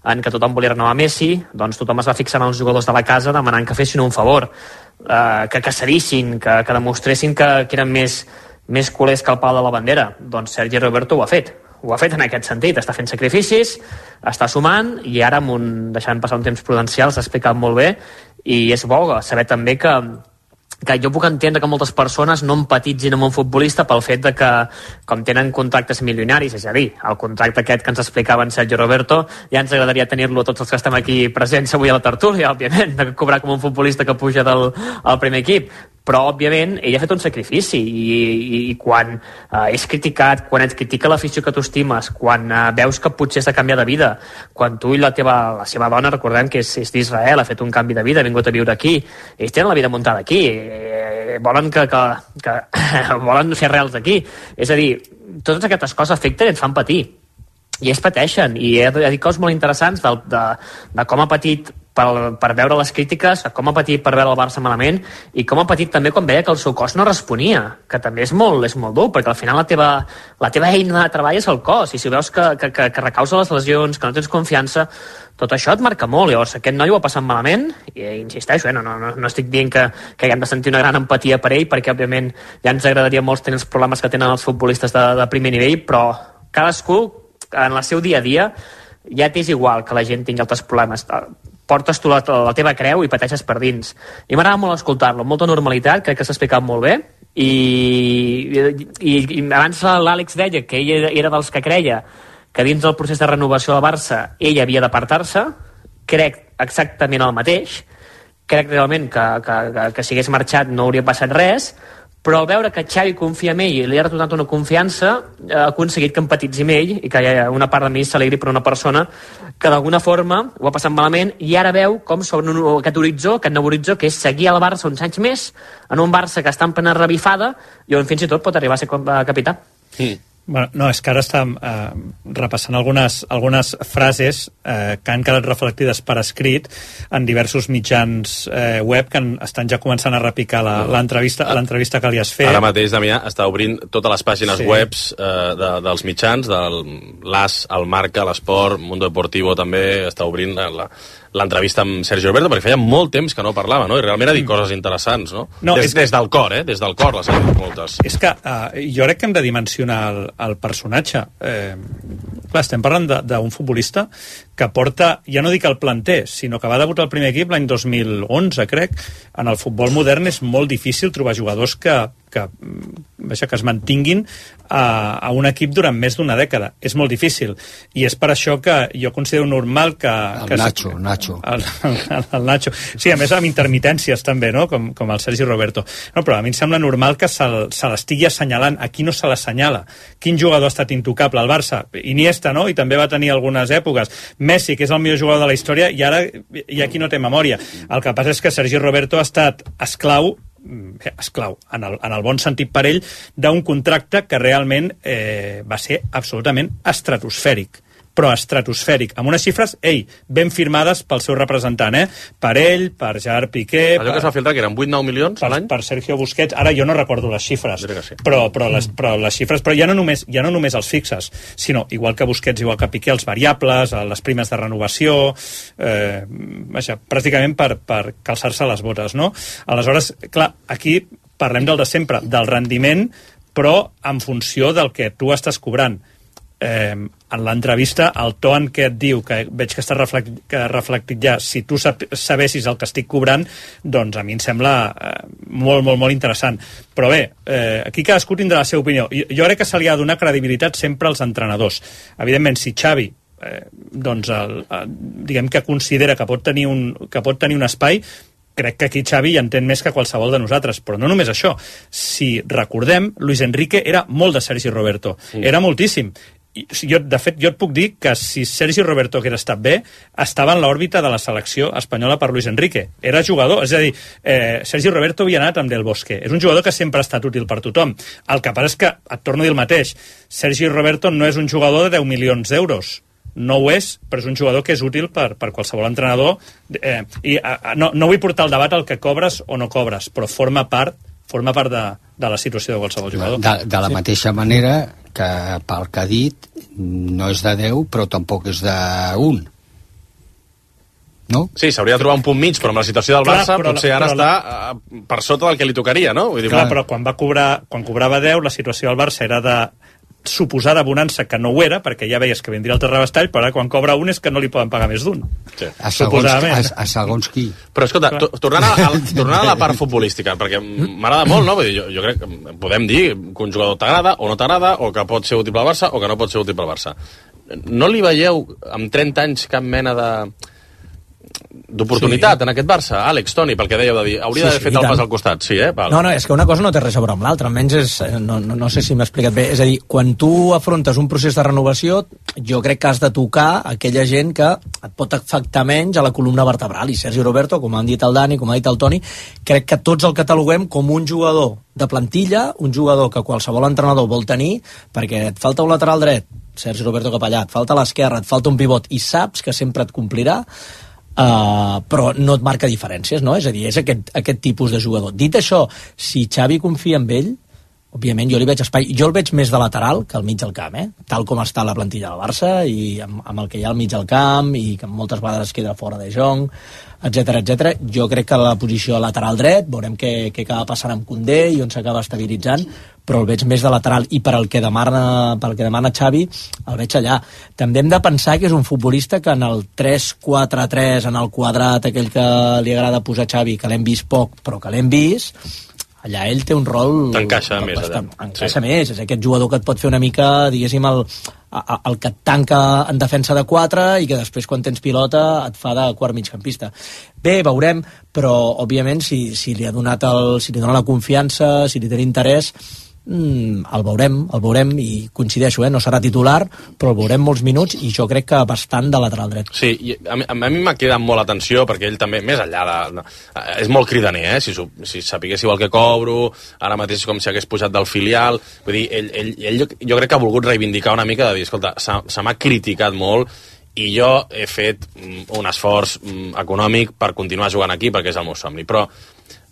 en què tothom volia renovar Messi, doncs tothom es va fixar en els jugadors de la casa demanant que fessin un favor, eh, que caçarissin, que, que demostressin que, que eren més, més culers que el pal de la bandera. Doncs Sergi Roberto ho ha fet. Ho ha fet en aquest sentit, està fent sacrificis, està sumant i ara, amb un, deixant passar un temps prudencial, s'ha explicat molt bé i és bo saber també que que jo puc entendre que moltes persones no empatitzin amb un futbolista pel fet de que, com tenen contractes milionaris, és a dir, el contracte aquest que ens explicava en Sergio Roberto, ja ens agradaria tenir-lo a tots els que estem aquí presents avui a la tertúlia, òbviament, de cobrar com un futbolista que puja del al primer equip, però, òbviament, ell ha fet un sacrifici i, i, i quan eh, és criticat, quan et critica l'afició que tu estimes, quan eh, veus que potser has de canviar de vida, quan tu i la teva la seva dona, recordem que és, és d'Israel, ha fet un canvi de vida, ha vingut a viure aquí, ells tenen la vida muntada aquí, eh, volen que, que, que volen fer arrels aquí, és a dir, totes aquestes coses afecten i et fan patir, i ells pateixen, i ha dit coses molt interessants de, de, de com ha patit per, per veure les crítiques, com ha patit per veure el Barça malament i com ha patit també quan veia que el seu cos no responia, que també és molt, és molt dur, perquè al final la teva, la teva eina de treball és el cos, i si veus que, que, que, que recausa les lesions, que no tens confiança, tot això et marca molt. Llavors aquest noi ho ha passat malament i insisteixo, eh, no, no, no, no estic dient que, que haguem de sentir una gran empatia per ell, perquè òbviament ja ens agradaria molts tenir els problemes que tenen els futbolistes de, de primer nivell, però cadascú en el seu dia a dia ja t'és igual que la gent tingui altres problemes, portes tu la, la teva creu i pateixes per dins, i m'agrada molt escoltar-lo, amb molta normalitat, crec que s'ha explicat molt bé i, i, i abans l'Àlex deia que ell era dels que creia que dins del procés de renovació del Barça ell havia d'apartar-se, crec exactament el mateix, crec realment que, que, que, que si hagués marxat no hauria passat res, però al veure que Xavi confia en ell i li ha retornat una confiança, ha aconseguit que empatitzi amb ell i que una part de mi s'alegri per una persona que d'alguna forma ho ha passat malament i ara veu com sobre un, aquest horitzó, aquest nou horitzó, que és seguir al Barça uns anys més, en un Barça que està en plena revifada i on fins i tot pot arribar a ser capità. Mm. Bueno, no, és que ara estàvem eh, repassant algunes, algunes frases eh, que han quedat reflectides per escrit en diversos mitjans eh, web que en, estan ja començant a repicar l'entrevista l'entrevista que li has fet. Ara mateix, Damià, està obrint totes les pàgines Sí. webs eh, de, dels mitjans, del l'As, el Marca, l'Esport, Mundo Deportivo també, està obrint la, l'entrevista amb Sergi Roberto, perquè feia molt temps que no parlava, no? I realment ha dit coses interessants, no? No, des, és- des del cor, eh? Des del cor les ha dit moltes. És que eh, jo crec que hem de dimensionar el, el personatge. Eh, clar, estem parlant de- d'un futbolista que porta, ja no dic el planter, sinó que va debutar al primer equip l'any dos mil onze, crec. En el futbol modern és molt difícil trobar jugadors que, que, vaja, que es mantinguin a, a un equip durant més d'una dècada. És molt difícil. I és per això que jo considero normal que... El que Nacho, Nacho. El, el, el Nacho. Sí, a més amb intermitències també, no? Com, com el Sergi Roberto. No, però a mi em sembla normal que se, se l'estigui assenyalant. Aquí no se l'assenyala. Quin jugador ha estat intocable al Barça? Iniesta, no? I també va tenir algunes èpoques. Messi, que és el millor jugador de la història, i ara i aquí no té memòria. El que passa és que Sergi Roberto ha estat esclau esclau, en el, en el bon sentit per ell, d'un contracte que realment eh, va ser absolutament estratosfèric, però estratosfèric, amb unes xifres, ei, ben firmades pel seu representant, eh? Per ell, per Gerard Piqué... Allò que es va filtrar, que eren vuit nou milions per, a l'any? per Sergio Busquets, ara jo no recordo les xifres, Sí. però, però, les, però les xifres, però ja no, només, ja no només els fixes, sinó, igual que Busquets, igual que Piqué, els variables, les primes de renovació, eh, vaja, pràcticament per, per calçar-se les botes, no? Aleshores, clar, aquí parlem del de sempre, del rendiment, però en funció del que tu estàs cobrant. Eh, en l'entrevista, el to en què et diu, que veig que està reflectit, que reflectit ja, si tu sap, sabessis el que estic cobrant, doncs a mi em sembla eh, molt, molt, molt interessant. Però bé, eh, aquí cadascú tindrà la seva opinió. Jo, jo crec que se li ha de donar credibilitat sempre als entrenadors. Evidentment, si Xavi eh, doncs el, el, diguem que considera que pot tenir un, que pot tenir un espai, crec que aquí Xavi hi entén més que qualsevol de nosaltres, però no només això. Si recordem, Luis Enrique era molt de Sergi Roberto, sí. Era moltíssim. I, jo, de fet, jo et puc dir que si Sergi Roberto hagués estat bé, estava en l'òrbita de la selecció espanyola per Luis Enrique. Era jugador, és a dir, eh, Sergi Roberto havia anat amb Del Bosque. És un jugador que sempre ha estat útil per tothom. El que passa és que, et torno a dir el mateix, Sergi Roberto no és un jugador de deu milions d'euros. No ho és, però és un jugador que és útil per, per qualsevol entrenador. Eh, i a, no, no vull portar el debat al que cobres o no cobres, però forma part forma part de, de la situació de qualsevol jugador. De, de la sí. mateixa manera que, pel que ha dit, no és de deu, però tampoc és d'un. No? Sí, s'hauria de trobar un punt mig, però amb la situació del Clar, Barça però, potser ara però, està uh, per sota del que li tocaria, no? Vull dir, Clar, però quan va cobrar, quan cobrava deu, la situació del Barça era de suposada bonança, que no ho era, perquè ja veies que vindria el terrabastall, però ara quan cobra un és que no li poden pagar més d'un. Sí. A segons, a, a segons qui. Però escolta, to, tornant, a, a, tornant a la part futbolística, perquè m'agrada molt, no? Vull dir, jo, jo crec que podem dir que un jugador t'agrada o no t'agrada, o que pot ser útil pel Barça o que no pot ser útil pel Barça. No li veieu amb trenta anys cap mena de d'oportunitat sí. en aquest Barça, Àlex, Toni, pel que dèieu de dir, hauria sí, d'haver sí, fet el pas al costat, sí, eh? Val. No, no, és que una cosa no té res a veure amb l'altra, almenys és, no, no, no sé si m'he explicat bé, és a dir, quan tu afrontes un procés de renovació, jo crec que has de tocar aquella gent que et pot afectar menys a la columna vertebral, i Sergi Roberto, com han dit el Dani, com ha dit el Toni, crec que tots el cataloguem com un jugador de plantilla, un jugador que qualsevol entrenador vol tenir, perquè et falta un lateral dret, Sergi Roberto cap allà, et falta l'esquerra, et falta un pivot, i saps que sempre et complirà. Uh, però no et marca diferències, no? És a dir, és aquest, aquest tipus de jugador. Dit això, si Xavi confia en ell, òbviament jo li veig espai, jo el veig més de lateral que al mig del camp, eh? Tal com està la plantilla del Barça i amb, amb el que hi ha al mig del camp i que moltes vegades queda fora de Jong, etcètera, etcètera. Jo crec que la posició lateral dret, veurem què, què acaba passant amb Koundé i on s'acaba estabilitzant, però el veig més de lateral i per al que demana, per al que demana Xavi el veig allà. També hem de pensar que és un futbolista que en el tres quatre tres, en el quadrat aquell que li agrada posar Xavi, que l'hem vist poc però que l'hem vist, allà ell té un rol... T'encaixa més, allà. Encaixa sí. més, és aquest jugador que et pot fer una mica, diguéssim, el, el que et tanca en defensa de quatre i que després quan tens pilota et fa de quart migcampista. Bé, veurem, però òbviament si, si li ha donat el, si li dona la confiança, si li té interès, mm, el veurem, el veurem i coincideixo, eh? No serà titular, però el veurem molts minuts i jo crec que bastant de lateral dret. Sí, i a mi, a mi m'ha quedat molt l'atenció perquè ell també, més enllà de... de és molt cridaner, eh? Si, si sapiguéssiu el que cobro, ara mateix és com si hagués pujat del filial, vull dir, ell, ell, ell jo, jo crec que ha volgut reivindicar una mica de dir, escolta, se, se m'ha criticat molt i jo he fet un esforç econòmic per continuar jugant aquí perquè és el meu somni, però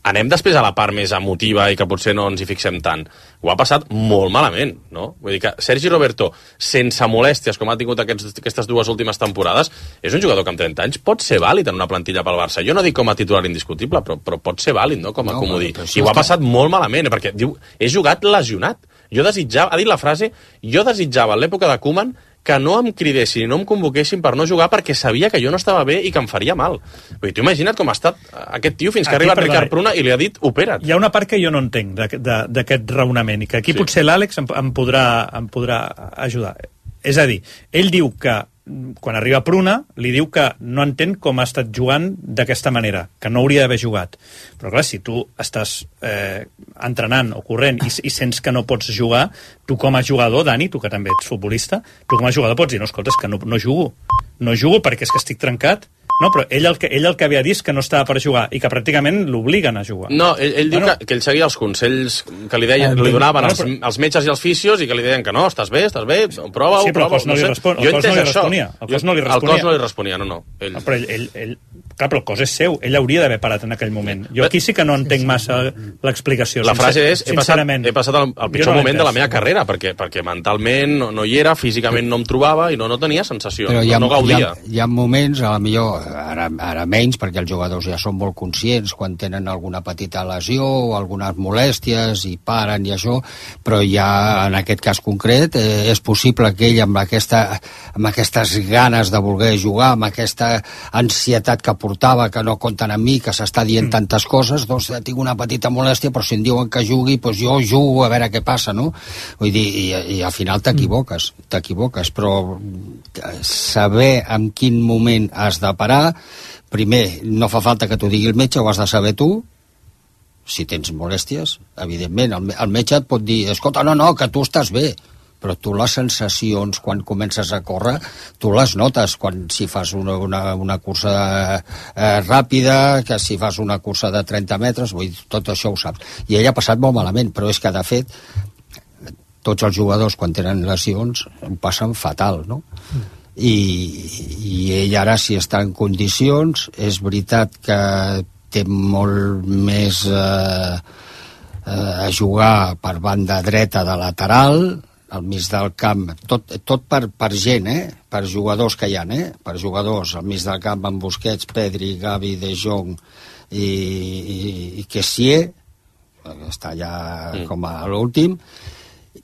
anem després a la part més emotiva i que potser no ens hi fixem tant. Ho ha passat molt malament, no? Vull dir que Sergi Roberto, sense molèsties, com ha tingut aquests, aquestes dues últimes temporades, és un jugador que amb trenta anys pot ser vàlid en una plantilla pel Barça. Jo no dic com a titular indiscutible, però, però pot ser vàlid, no?, com a no, comodí. I ho ha passat molt malament, perquè diu, he jugat lesionat. Jo desitjava, ha dit la frase, jo desitjava en l'època de Koeman que no em cridessin i no em convoquessin per no jugar perquè sabia que jo no estava bé i que em faria mal. Vull dir, t'ho imagina't com ha estat aquest tio fins que ha arribat Ricard Pruna i li ha dit opera't. Hi ha una part que jo no entenc d'aquest raonament i que aquí sí. Potser l'Àlex em, em, podrà, em podrà ajudar. És a dir, ell diu que quan arriba Pruna, li diu que no entén com ha estat jugant d'aquesta manera, que no hauria d'haver jugat. Però clar, si tu estàs eh, entrenant o corrent i, i sents que no pots jugar, tu com a jugador, Dani, tu que també ets futbolista, tu com a jugador pots dir, no, escolta, és que no, no jugo. No jugo perquè és que estic trencat. No, però ell el, que, ell el que havia dit que no estava per jugar i que pràcticament l'obliguen a jugar. No, ell, ell diu bueno, que, que ell seguia els consells que li deien, li donaven els, els metges i els fisios i que li deien que no, estàs bé, estàs bé, prova-ho, sí, però prova-ho. El cos no, no li, respon, el cos no li responia. El cos no li responia. El cos no li responia, no, no. Ell... no però ell, ell, ell, clar, però el cos és seu, ell hauria d'haver parat en aquell moment. Jo aquí sí que no entenc massa l'explicació. La frase és, he passat, he passat el, el pitjor no moment de la meva carrera, perquè, perquè mentalment no, no hi era, físicament no em trobava i no, no tenia sensació, però no, no gaudia. Hi ha, hi ha moments, a la millor, ara, ara menys, perquè els jugadors ja són molt conscients quan tenen alguna petita lesió o algunes molèsties i paren i això, però ja en aquest cas concret eh, és possible que ell amb, aquesta, amb aquestes ganes de voler jugar, amb aquesta ansietat que portava, que no compten amb mi, que s'està dient mm. tantes coses, doncs tinc una petita molèstia, però si em diuen que jugui, doncs jo jugo a veure què passa, no? Vull dir, i, i al final t'equivoques, t'equivoques, però saber en quin moment has de parar. Primer, no fa falta que t'ho digui el metge, ho has de saber tu, si tens molèsties, evidentment. El, el metge et pot dir, escolta, no, no, que tu estàs bé, però tu les sensacions, quan comences a córrer, tu les notes, quan si fas una, una, una cursa eh, ràpida, que si fas una cursa de trenta metres, vull dir, tot això ho saps. I ell ha passat molt malament, però és que, de fet, tots els jugadors, quan tenen lesions, ho passen fatal, no? Mm. I, i ell ara, si està en condicions, és veritat que té molt més eh, eh, a jugar per banda dreta de lateral, al mig del camp, tot, tot per, per gent, eh? Per jugadors que hi ha, eh? Per jugadors al mig del camp amb Busquets, Pedri, Gavi, De Jong i, i, i Kessié, està ja mm. com a l'últim,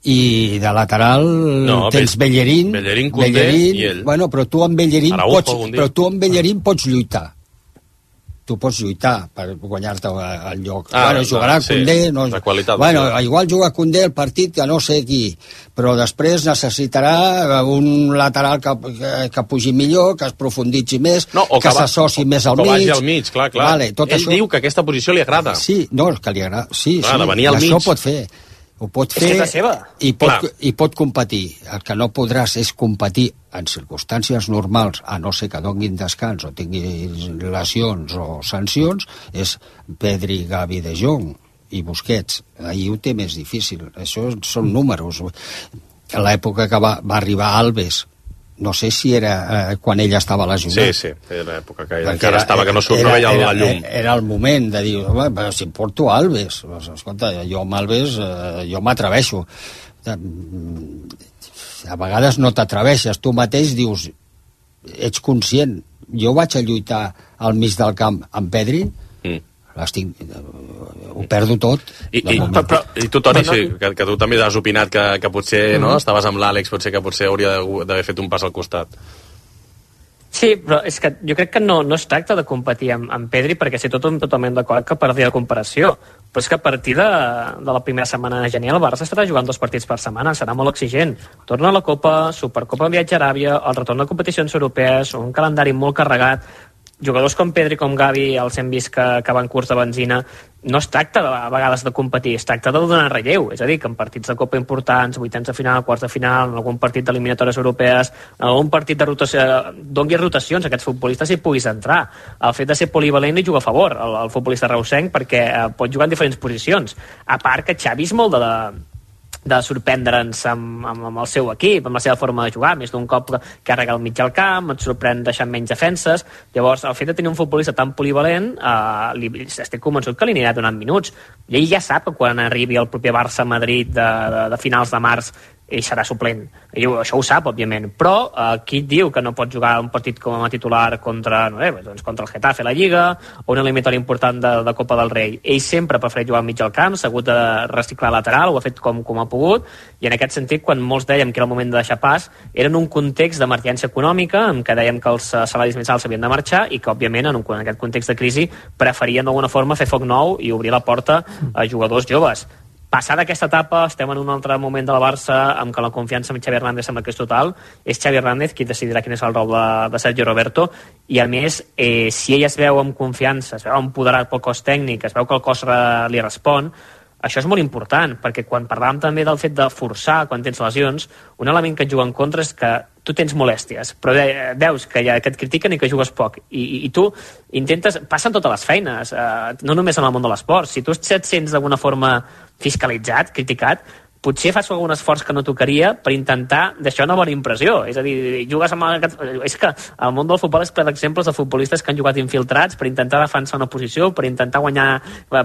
i de lateral no, tens Bellerín, Bellerín, Koundé Bellerín, i ell. Bueno, però tu amb Bellerín Araujo, pots, però tu amb Bellerín pots lluitar. Tu pots lluitar per guanyar-te el lloc. Ah, bueno, jugarà sí, Koundé, no, bueno, igual juga Koundé el partit que no sé qui, però després necessitarà un lateral que, que, que pugi millor, que es profunditzi més, no, que, que s'associ més al mig. Que vagi al mig, clar, clar. Vale, tot ell això... diu que aquesta posició li agrada. Sí, no, que li agrada. Sí, clar, sí, al això mig. pot fer. Ho pot fer i pot, i pot competir. El que no podràs és competir en circumstàncies normals, a no ser que donin descans o tinguis lesions o sancions, és Pedri, Gavi, De Jong i Busquets. Ahir ho té més difícil. Això són números. A l'època que va, va arribar Alves, no sé si era eh, quan ella estava lesionat. Sí, sí, era l'època que ella encara estava, que no, surt, no veia la llum. Era, era el moment de dir, però si em porto Alves, escolta, jo amb Alves, eh, jo m'atreveixo. A vegades no t'atreveixes, tu mateix dius, ets conscient, jo vaig a lluitar al mig del camp amb Pedri, mm. l'estic, ho perdo tot. I, i, però, i tu, Toni, sí, que, que tu també has opinat que, que potser mm. no, estaves amb l'Àlex, potser que potser hauria d'haver fet un pas al costat. Sí, però és que jo crec que no, no es tracta de competir amb, amb Pedri, perquè sí, tot, totalment d'acord que perdia la comparació, però és que a partir de, de la primera setmana de gener el Barça estarà jugant dos partits per setmana, serà molt exigent. Torna a la Copa, Supercopa, viatge a Aràbia, el retorn de competicions europees, un calendari molt carregat. jugadors com Pedri i com Gavi els hem vist que, que van curs de benzina. No es tracta de, a vegades de competir, es tracta de donar relleu, és a dir, que en partits de Copa importants, vuitens de final, quarts de final, en algun partit d'eliminatòries europees, en algun partit de rotació, doni rotacions a aquests futbolistes i puguis entrar. El fet de ser polivalent li juga a favor al, al futbolista reusenc, perquè eh, pot jugar en diferents posicions. A part que Xavi és molt de, de de sorprendre'ns amb, amb, amb el seu equip, amb la seva forma de jugar, més d'un cop carrega al mig del camp, et sorprèn deixant menys defenses. Llavors, el fet de tenir un futbolista tan polivalent, eh, li, estic convençut que li anirà donant minuts. I ell ja sap que quan arribi el proper Barça-Madrid de, de, de finals de març, ell serà suplent. Ell, això ho sap, òbviament. Però eh, qui et diu que no pot jugar un partit com a titular contra, no sé, doncs contra el Getafe a la Lliga o una eliminatòria important de, de Copa del Rei? Ell sempre ha preferit jugar al mig del camp, s'ha hagut de reciclar lateral, ho ha fet com, com ha pogut, i en aquest sentit, quan molts dèiem que era el moment de deixar pas, era en un context d'emergència econòmica, en què dèiem que els salaris més alts havien de marxar i que, òbviament, en, un, en aquest context de crisi, preferien d'alguna forma fer foc nou i obrir la porta a jugadors joves. Passada aquesta etapa, estem en un altre moment de la Barça amb què la confiança en Xavi Hernández sembla que és total. És Xavi Hernández qui decidirà quin és el rol de, de Sergio Roberto, i a més, eh, si ell es veu amb confiança, es veu empoderat pel cos tècnic, es veu que el cos re, li respon, això és molt important, perquè quan parlàvem també del fet de forçar quan tens lesions, un element que et juga en contra és que tu tens molèsties, però veus que, ja, que et critiquen i que jugues poc, i, i, i tu intentes, passen totes les feines, eh, no només en el món de l'esport, si tu et sents d'alguna forma fiscalitzat, criticat, potser fas algun esforç que no tocaria per intentar deixar una bona impressió. És a dir, jugues amb aquest... És que el món del futbol és ple d'exemples de futbolistes que han jugat infiltrats per intentar defensar una posició, per intentar guanyar,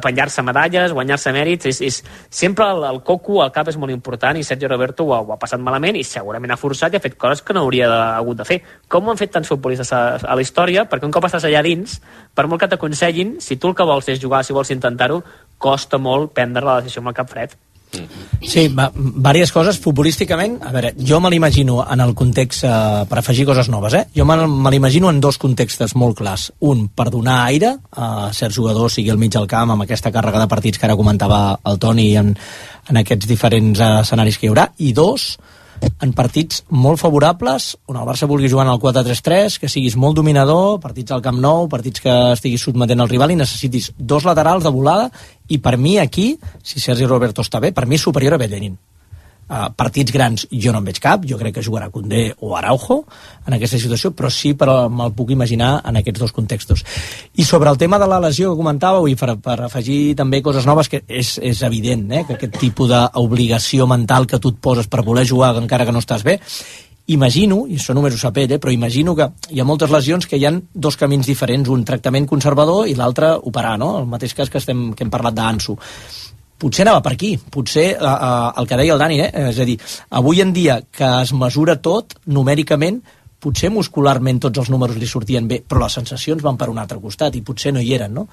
penjar-se medalles, guanyar-se mèrits. És, és... Sempre el, el coco al cap és molt important, i Sergio Roberto ho ha, ho ha passat malament i segurament ha forçat i ha fet coses que no hauria de, hagut de fer. Com ho han fet tants futbolistes a, a la història? Perquè un cop estàs allà dins, per molt que t'aconsellin, si tu el que vols és jugar, si vols intentar-ho, costa molt prendre la decisió amb el cap fred. Sí, va, diverses coses. Futbolísticament, a veure, jo me l'imagino en el context, eh, per afegir coses noves, eh? Jo me, me l'imagino en dos contextes molt clars. Un, per donar aire a certs jugadors, sigui al mig del camp, amb aquesta càrrega de partits que ara comentava el Toni, en, en aquests diferents eh, escenaris que hi haurà. I dos, en partits molt favorables, on el Barça vulgui jugar en el quatre tres tres, que siguis molt dominador, partits al Camp Nou, partits que estiguis sotmetent al rival i necessitis dos laterals de volada, i per mi aquí, si Sergi Roberto està bé, per mi és superior a Bellerín. Uh, partits grans jo no en veig cap, jo crec que jugarà Koundé o Araujo en aquesta situació, però sí, però me'l puc imaginar en aquests dos contextos. I sobre el tema de la lesió que comentàveu, i per, per afegir també coses noves, que és, és evident, eh, que aquest tipus d'obligació mental que tu et poses per voler jugar encara que no estàs bé, imagino, i això només ho sap ell, eh, però imagino que hi ha moltes lesions que hi ha dos camins diferents, un tractament conservador i l'altre operar, no? El mateix cas que, estem, que hem parlat d'Ansu. Potser anava per aquí, potser uh, uh, el que deia el Dani, eh? És a dir, avui en dia que es mesura tot numèricament, potser muscularment tots els números li sortien bé, però les sensacions van per un altre costat i potser no hi eren, no?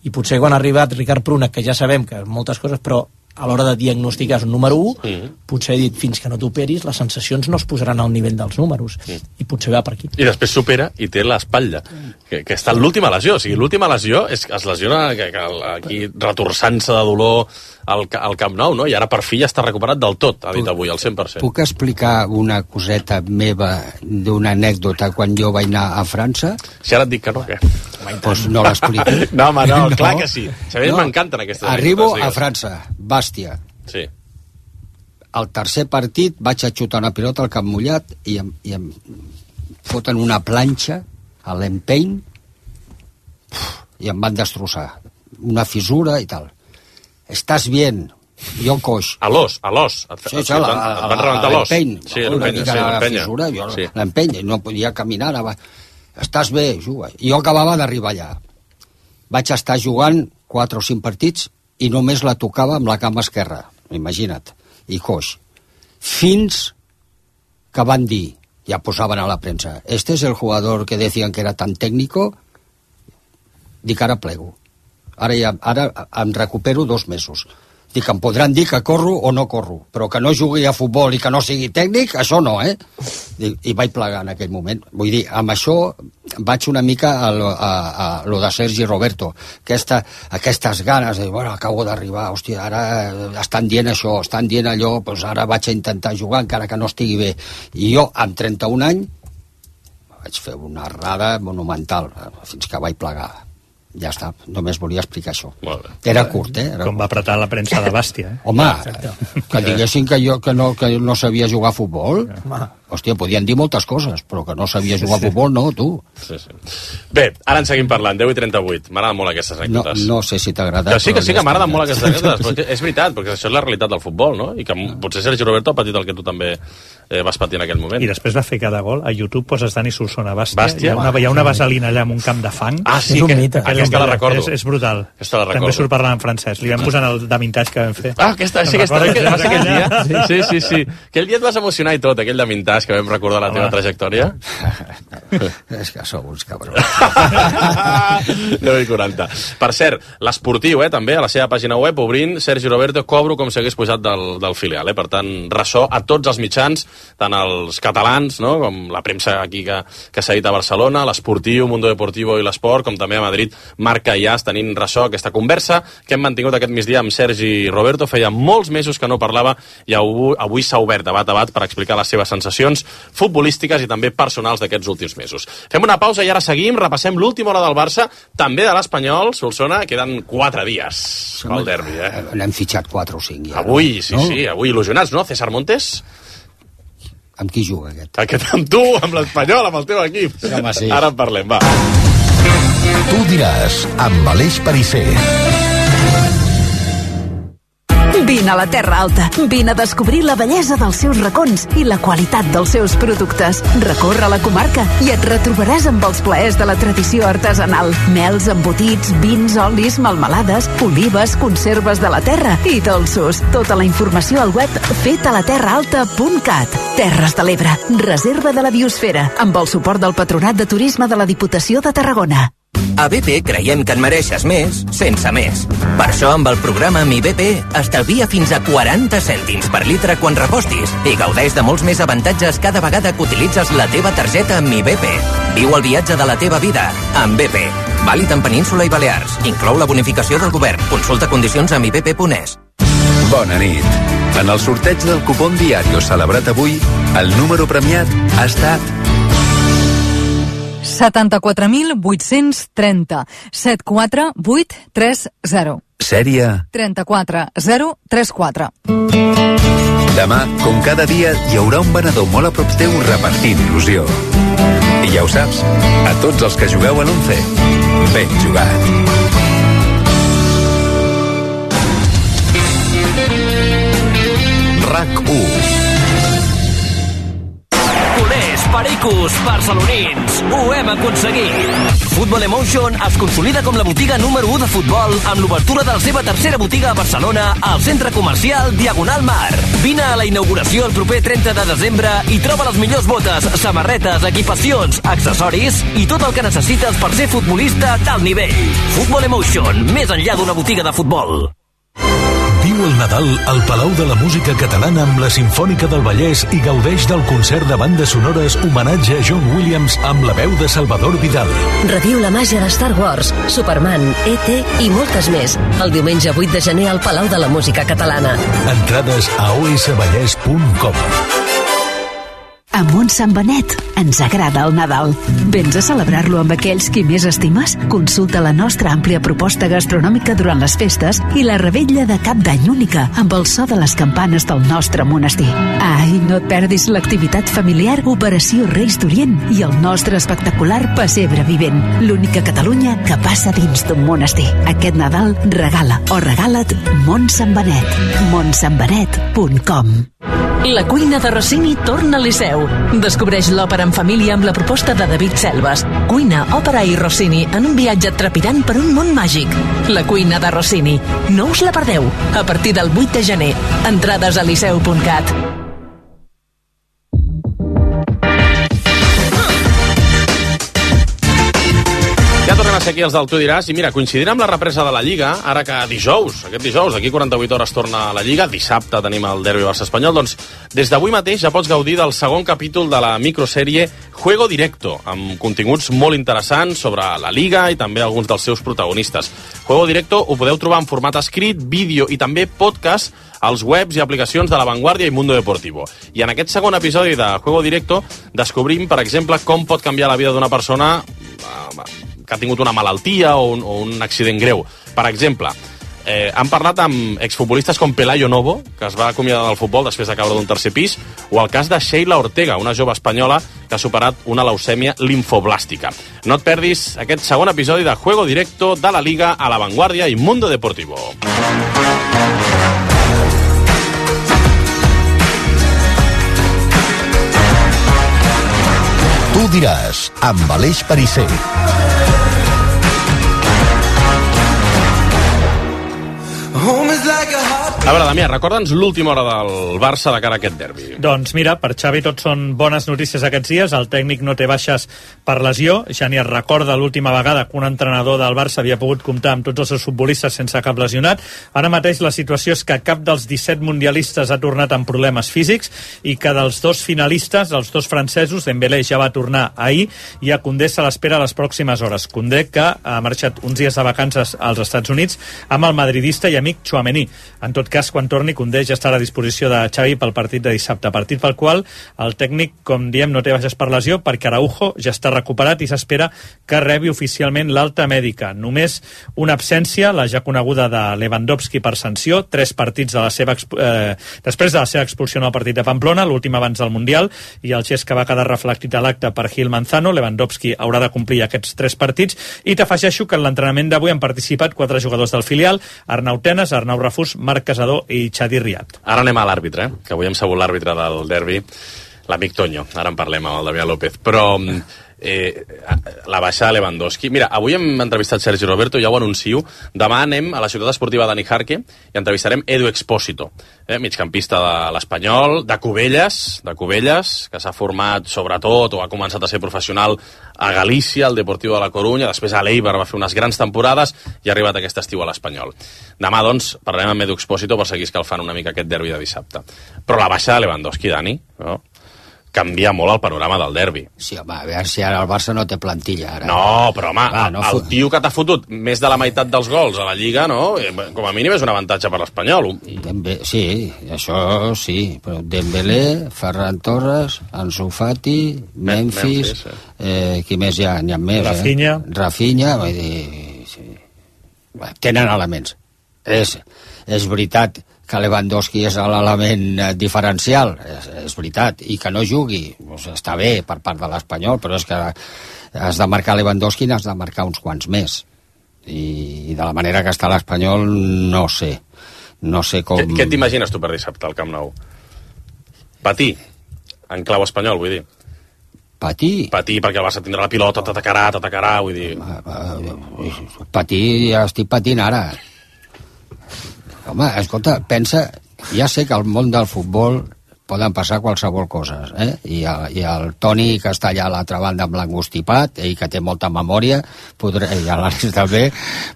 I potser quan ha arribat Ricard Pruna, que ja sabem que moltes coses, però a l'hora de diagnosticar és un número u, mm. potser he dit, fins que no t'operis, les sensacions no es posaran al nivell dels números, mm. i potser va per aquí. I després s'opera i té l'espatlla, que, que està en l'última lesió, o sigui, l'última lesió és que es lesiona que, que, aquí retorçant-se de dolor al, al Camp Nou, no? I ara per fi ja està recuperat del tot, ha dit avui, al cent per cent. Puc explicar una coseta meva d'una anècdota quan jo vaig anar a França? Si ara et dic que no, què? Pues no l'explico. No, home, no, no, clar que sí. A mi no. M'encanten aquestes Arribo anècdotes. A França, Bàstia. Sí. Al tercer partit vaig a xutar una pilota al camp mullat i em, i em foten una planxa a l'empeny i em van destrossar. Una fissura i tal. Estàs bien, jo coix. A l'os, a l'os. Sí, sí, et van rebentar l'os. Sí, una mica la fissura, jo sí. L'empeny, no podia caminar. Anava. Estàs bé, juga. Jo acabava d'arribar allà. Vaig estar jugant quatre o cinc partits i només la tocava amb la cama esquerra, imagina't, i coix. Fins que van dir, ja posaven a la premsa, este es el jugador que decían que era tan técnico, dic, ara plego. Ara, ja, ara em recupero dos mesos. Dic, em podran dir que corro o no corro, però que no jugui a futbol i que no sigui tècnic, això no, eh? I, i vaig plegar en aquell moment. Vull dir, amb això vaig una mica a lo, a, a lo de Sergi Roberto. Aquesta, aquestes ganes de, bueno, acabo d'arribar, hòstia, ara estan dient això, estan dient allò, doncs ara vaig a intentar jugar encara que no estigui bé. I jo, amb trenta-un anys, vaig fer una errada monumental, fins que vaig plegar. Ja està, només volia explicar això. Era curt, eh? Era Com va apretar la premsa de Bàstia, eh? Home, que diguessin que jo que no, que no sabia jugar a futbol. Hòstia, podien dir moltes coses, però que no sabia jugar a futbol, no, tu. Sí, sí. Bé, ara en seguim parlant, deu i trenta-vuit. M'agraden molt aquestes anècdotes. No, no sé si t'agrada. Que sí, que sí, que m'agraden molt aquestes anècdotes. Perquè és veritat, perquè això és la realitat del futbol, no? I que potser Sergi Roberto ha patit el que tu també eh, vas patir en aquell moment. I després va fer cada gol. A YouTube poses Dani Solsona Bàstia. Bàstia. Hi ha una, hi ha una vaselina allà amb un camp de fang. Ah, sí, que, que aquesta la recordo. És, és brutal. Aquesta la recordo. També surt parlant en francès. Li vam posar el de vintage que vam fer. Ah, aquesta, sí, aquesta, que va ser aquell dia. Sí, sí, sí. Aquell dia et vas emocionar i tot, aquell de vintage que vam recordar la teva trajectòria. És que sou uns cabrons. deu i quaranta. Per cert, l'esportiu, eh, també, a la seva pàgina web, obrint Sergi Roberto, cobro com si hagués pujat del, del filial, eh? Per tant, ressò a tots els mitjans, tant els catalans, no?, com la premsa aquí que, que s'ha dit a Barcelona, l'esportiu, Mundo Deportivo i l'esport, com també a Madrid, Marca i As, tenint ressò aquesta conversa que hem mantingut aquest migdia amb Sergi Roberto. Feia molts mesos que no parlava i avui, avui s'ha obert de bat a bat per explicar les seves sensacions futbolístiques i també personals d'aquests últims mesos. Fem una pausa i ara seguim, repassem l'última hora del Barça, també de l'Espanyol, Solsona, queden quatre dies pel derbi, eh? N'hem fitxat quatre o cinc ja. Avui, sí, no? sí, avui il·lusionats, no? César Montes? Amb qui juga aquest? Aquest amb tu, amb l'Espanyol, amb el teu equip. Sí, home, sí. Ara en parlem, va. Tu diràs, amb Aleix Perisser. Vine a la Terra Alta. Vine a descobrir la bellesa dels seus racons i la qualitat dels seus productes. Recorre la comarca i et retrobaràs amb els plaers de la tradició artesanal. Mels, embotits, vins, olis, melmelades, olives, conserves de la terra i dolços. Tota la informació al web fetalaterraalta punt cat. Terres de l'Ebre. Reserva de la biosfera. Amb el suport del Patronat de Turisme de la Diputació de Tarragona. A B P creiem que en mereixes més, sense més. Per això, amb el programa Mi B P, estalvia fins a quaranta cèntims per litre quan repostis i gaudeix de molts més avantatges cada vegada que utilitzes la teva targeta Mi B P. Viu el viatge de la teva vida amb B P. Vàlid en Península i Balears. Inclou la bonificació del govern. Consulta condicions a mi b p punt es. Bona nit. En el sorteig del cupón Diario celebrat avui, el número premiat ha estat setanta-quatre mil vuit-cents trenta, set quatre vuit tres zero. Sèrie trenta-quatre zero trenta quatre. Demà, com cada dia, hi haurà un venedor molt a prop teu repartint il·lusió. I ja ho saps, a tots els que jugueu a l'Once, ben jugat. RAC u. Culers, pericos, barcelonins, ho hem aconseguit. Football Emotion es consolida com la botiga número u de futbol amb l'obertura de la seva tercera botiga a Barcelona al centre comercial Diagonal Mar. Vine a la inauguració el proper trenta de desembre i troba les millors botes, samarretes, equipacions, accessoris i tot el que necessites per ser futbolista d'alt nivell. Football Emotion, més enllà d'una botiga de futbol. Viu el Nadal al Palau de la Música Catalana amb la Simfònica del Vallès i gaudeix del concert de bandes sonores homenatge a John Williams amb la veu de Salvador Vidal. Reviu la màgia de Star Wars, Superman, E T i moltes més. El diumenge vuit de gener al Palau de la Música Catalana. Entrades a o s vallès punt com. A Montsant Benet ens agrada el Nadal. Vens a celebrar-lo amb aquells qui més estimes? Consulta la nostra àmplia proposta gastronòmica durant les festes i la revetlla de cap d'any única amb el so de les campanes del nostre monestir. Ai, no et perdis l'activitat familiar Operació Reis d'Orient i el nostre espectacular Pessebre Vivent, l'única Catalunya que passa dins d'un monestir. Aquest Nadal regala o regala't Montsant Benet. montsant benet punt com. La cuina de Rossini torna al Liceu. Descobreix l'òpera en família amb la proposta de David Selves. Cuina, òpera i Rossini en un viatge trepidant per un món màgic. La cuina de Rossini. No us la perdeu. A partir del vuit de gener. Entrades a liceu punt cat. Ja tornem a a ser aquí els del Tu diràs, i mira, coincidirà amb la represa de la Lliga, ara que dijous, aquest dijous, d'aquí quaranta-vuit hores torna a la Lliga, dissabte tenim el derbi Barça-Espanyol, doncs des d'avui mateix ja pots gaudir del segon capítol de la microsèrie Juego Directo, amb continguts molt interessants sobre la Liga i també alguns dels seus protagonistes. Juego Directo ho podeu trobar en format escrit, vídeo i també podcast als webs i aplicacions de La Vanguardia i Mundo Deportivo. I en aquest segon episodi de Juego Directo descobrim, per exemple, com pot canviar la vida d'una persona que ha tingut una malaltia o un, o un accident greu. Per exemple, eh, han parlat amb exfutbolistes com Pelayo Novo, que es va acomiadar del futbol després de caure d'un tercer pis, o el cas de Sheila Ortega, una jove espanyola que ha superat una leucèmia limfoblàstica. No et perdis aquest segon episodi de Juego Directo de la Liga a La Vanguardia i Mundo Deportivo. Tu diràs, amb Aleix Perisser. A veure, Damià, recorda'ns l'última hora del Barça de cara a aquest derbi. Doncs mira, per Xavi tot són bones notícies aquests dies. El tècnic no té baixes per lesió. Ja ni es recorda l'última vegada que un entrenador del Barça havia pogut comptar amb tots els seus futbolistes sense cap lesionat. Ara mateix la situació és que cap dels disset mundialistes ha tornat amb problemes físics i que dels dos finalistes, els dos francesos, Dembélé ja va tornar ahir i a Koundé se l'espera a les pròximes hores. Koundé, que ha marxat uns dies de vacances als Estats Units amb el madridista i amic Tchouaméni. En tot cas, quan torni, Koundé ja estarà a disposició de Xavi pel partit de dissabte, partit pel qual el tècnic, com diem, no té baixes per lesió, perquè Araujo ja està recuperat i s'espera que rebi oficialment l'alta mèdica. Només una absència, la ja coneguda de Lewandowski per sanció, tres partits de la seva eh, després de la seva expulsió en el partit de Pamplona, l'últim abans del Mundial, i el gest que va quedar reflectit a l'acte per Gil Manzano. Lewandowski haurà de complir aquests tres partits, i t'afegeixo que en l'entrenament d'avui han participat quatre jugadors del filial: Arnau Tenas, Arnau Rafús, Marc Casador i Xavi Riat. Ara anem a l'àrbitre, eh? Que avui hem sabut l'àrbitre del derbi, l'amic Toño. Ara en parlem amb el Damià López. Però eh, la baixa de Lewandowski... Mira, avui hem entrevistat Sergi Roberto, ja ho anuncio. Demà anem a la ciutat esportiva de Nijarque i entrevistarem Edu Expósito, eh, migcampista de l'Espanyol, de Cubelles, de Cubelles, que s'ha format sobretot o ha començat a ser professional a Galícia, al Deportivo de la Coruña, després a l'Eibar va fer unes grans temporades i ha arribat aquest estiu a l'Espanyol. Demà, doncs, parlarem amb Edu Expósito per seguir escalfant una mica aquest derbi de dissabte. Però la baixa de Lewandowski, Dani, no? Canvia molt el panorama del derbi. Sí, home, a veure si ara el Barça no té plantilla. Ara. No, però home, Va, no el fot... tio que t'ha fotut més de la meitat dels gols a la Lliga, no? Com a mínim és un avantatge per l'Espanyol. Dembe... Sí, això sí, però Dembélé, Ferran Torres, Ansu Fati, Memphis, Memphis eh. Eh, qui més hi ha? N'hi ha més, Rafinha. Eh? Rafinha, vull dir... Sí. Bé, tenen elements. És, és veritat que Lewandowski és l'element diferencial, és, és veritat, i que no jugui, doncs està bé per part de l'Espanyol, però és que has de marcar Lewandowski i has de marcar uns quants més. I, i de la manera que està l'Espanyol, no sé. No sé com... Què, què t'imagines tu per dissabte al Camp Nou? Patir, en clau espanyol, vull dir. Patir? Patir, perquè el Barça tindrà la pilota, t'atacarà, t'atacarà, vull dir... Patir, ja estic patint ara. Home, escolta, pensa, ja sé que al món del futbol poden passar qualsevol cosa, eh? I el, i el Toni, que està allà a l'altra banda amb l'angustipat, ell que té molta memòria, podrà, i l'Àlex també,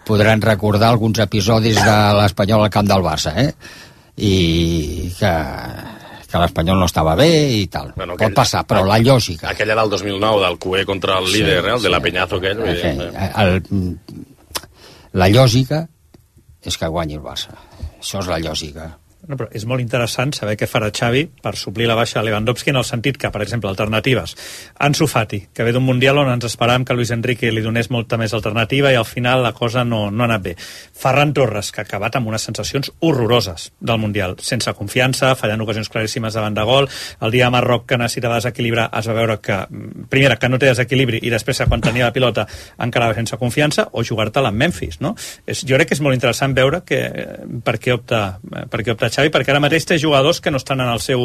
podran recordar alguns episodis de l'Espanyol al camp del Barça, eh? I que, que l'Espanyol no estava bé i tal. Bueno, aquell, pot passar, però la lògica... Aquella del dos mil nou, del Cué contra el líder, sí, eh? El sí, de la Peñazo aquell. Okay. El, la lògica és que guanyi el Barça. Això és la lògica. No, però és molt interessant saber què farà Xavi per suplir la baixa de Lewandowski, en el sentit que, per exemple, alternatives. Ansu Fati, que ve d'un Mundial on ens esperàvem que Luis Enrique li donés molta més alternativa i al final la cosa no, no ha anat bé. Ferran Torres, que ha acabat amb unes sensacions horroroses del Mundial, sense confiança, fallant ocasions claríssimes davant de gol. El dia de Marroc, que necessitava desequilibrar, es va veure que, primera, que no té desequilibri, i després, quan tenia la pilota, encara va sense confiança, o jugar-te-la amb Memphis, no? És, jo crec que és molt interessant veure que, per què opta, per què opta Xavi, perquè ara mateix té jugadors que no estan en el seu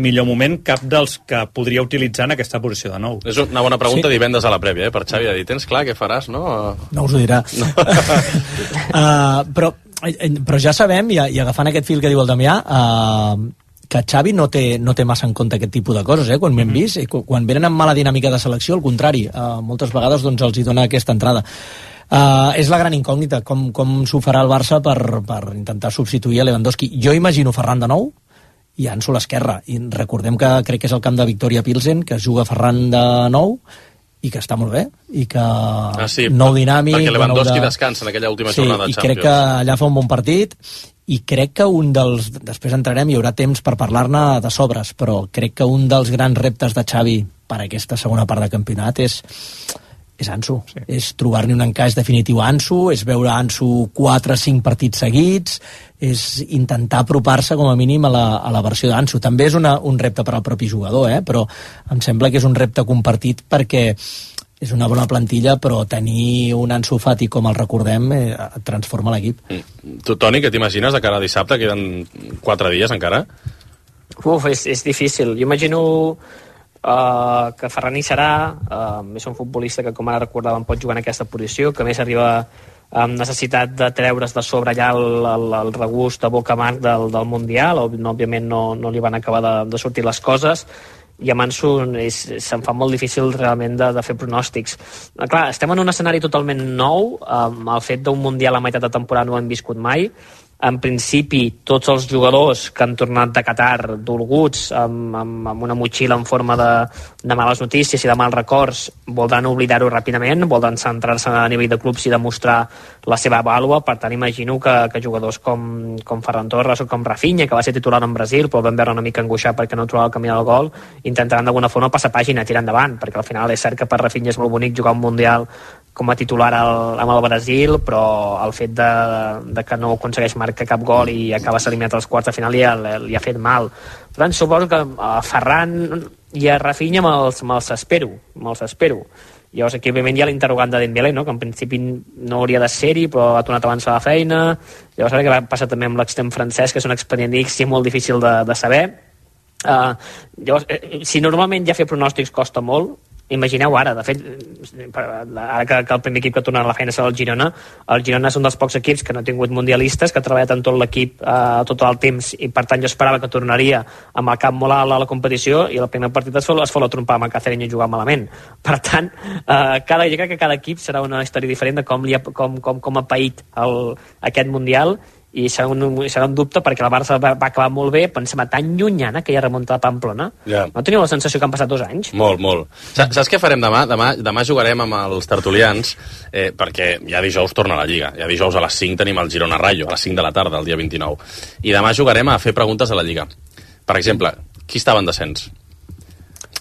millor moment, cap dels que podria utilitzar en aquesta posició de nou. És una bona pregunta, sí. Divendres a la prèvia, eh, per Xavi, de dir, tens clar què faràs, no? No us ho dirà. No. uh, però, però ja sabem, i, i agafant aquest fil que diu el Damià, uh, que Xavi no té, no té massa en compte aquest tipus de coses, eh? Quan m'hem vist, quan venen amb mala dinàmica de selecció, al contrari, uh, moltes vegades doncs, els hi dona aquesta entrada. Uh, és la gran incògnita, com, com s'ho farà el Barça per, per intentar substituir a Lewandowski. Jo imagino Ferran de nou i Ansu a l'esquerra, i recordem que crec que és el camp de Victoria Pilsen, que juga Ferran de nou i que està molt bé, i que ah, sí, nou dinàmic... Perquè Lewandowski de... descansa en aquella última sí, jornada de i Champions. crec que allà fa un bon partit, i crec que un dels... Després entrarem, hi haurà temps per parlar-ne de sobres, però crec que un dels grans reptes de Xavi per a aquesta segona part de campionat és, és Ansu. Sí. És trobar-ne un encaix definitiu a Ansu, és veure Ansu quatre o cinc partits seguits, és intentar apropar-se com a mínim a la, a la versió d'Ansu. També és una, un repte per al propi jugador, eh? Però em sembla que és un repte compartit perquè és una bona plantilla, però tenir un Ansu Fati com el recordem eh, transforma l'equip. Mm. Tu, Toni, què t'imagines de cara a dissabte? Queden quatre dies encara? Uf, és, és difícil. Jo imagino uh, que Ferran hi serà, uh, és un futbolista que, com ara recordàvem, pot jugar en aquesta posició, que més arriba amb necessitat de treure's de sobre allà el, el, el regust de boca amarg del, del Mundial. Òbviament no, no li van acabar de, de sortir les coses, i a Ansu se'n fa molt difícil realment de, de fer pronòstics. Clar, estem en un escenari totalment nou, amb el fet d'un Mundial a meitat de temporada no ho hem viscut mai. En principi, tots els jugadors que han tornat de Qatar dolguts, amb, amb, amb una motxilla en forma de, de males notícies i de mals records, voldran oblidar-ho ràpidament, voldran centrar-se a nivell de clubs i demostrar la seva vàlua. Per tant, imagino que, que jugadors com, com Ferran Torres o com Rafinha, que va ser titular en Brasil, però vam veure una mica angoixat perquè no trobava el camí del gol, intentaran d'alguna forma passar pàgina, tirar endavant, perquè al final és cert que per Rafinha és molt bonic jugar un Mundial com a titular al, amb el Brasil, però el fet de, de que no aconsegueix marcar cap gol i acaba eliminat als quarts de final li ha, li ha fet mal. Per tant, suposo que a Ferran i a Rafinha me'ls, me'ls espero, me'ls espero. Llavors aquí òbviament hi ha l'interrogant de Dembélé, no? Que en principi no hauria de ser-hi, però ha tornat abans a la feina. Llavors ara què va passar també amb l'extrem francès, que és un expedient X i molt difícil de, de saber. Uh, llavors, eh, si normalment ja fer pronòstics costa molt, imagineu ara, de fet, ara que, que el primer equip que torna a la feina serà el Girona, el Girona és un dels pocs equips que no ha tingut mundialistes, que ha treballat en tot l'equip eh, tot el temps, i per tant jo esperava que tornaria amb el cap molt alt a la competició, i el primer partit es fot, es fot la trompa amb el Cacereño i jugar malament. Per tant, eh, cada, jo crec que cada equip serà una història diferent de com, li ha, com, com, com ha paït el, aquest Mundial, i serà un, serà un dubte perquè el Barça va, va acabar molt bé, però em sembla tan llunyana que ja remunta a Pamplona. Yeah. No teniu la sensació que han passat dos anys? Molt, molt. Saps, saps què farem demà? Demà, demà jugarem amb els tertulians, eh, perquè ja dijous torna la Lliga. Ja dijous a les cinc tenim el Girona Rayo, a les cinc de la tarda, el dia vint-i-nou. I demà jugarem a fer preguntes a la Lliga. Per exemple, qui estava en descens?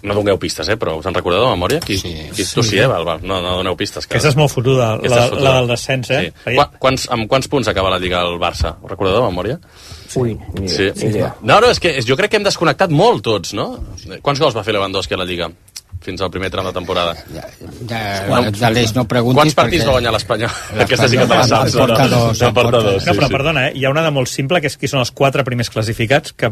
No doneu pistes, eh, però us en recordeu de memòria? Qui, sí, qui, tu sí, eh, Val, val. No, no doneu pistes. Que... Aquesta és molt fotuda, la, la del descens, eh? Sí. Qu quants, amb quants punts acaba la Lliga el Barça? Ho recordeu de memòria? Ui, ni sí. sí. No, no, és que jo crec que hem desconnectat molt tots, no? Quants gols va fer Lewandowski a la Lliga? Fins al primer tram de temporada. Ja, ja, no, d'Aleix no preguntis... Quants partits perquè... va guanyar l'Espanyol? Aquesta sí que te la saps. En porta dos. En porta dos, sí, no, però sí. perdona, eh? Hi ha una de molt simple, que és qui són els quatre primers classificats, que,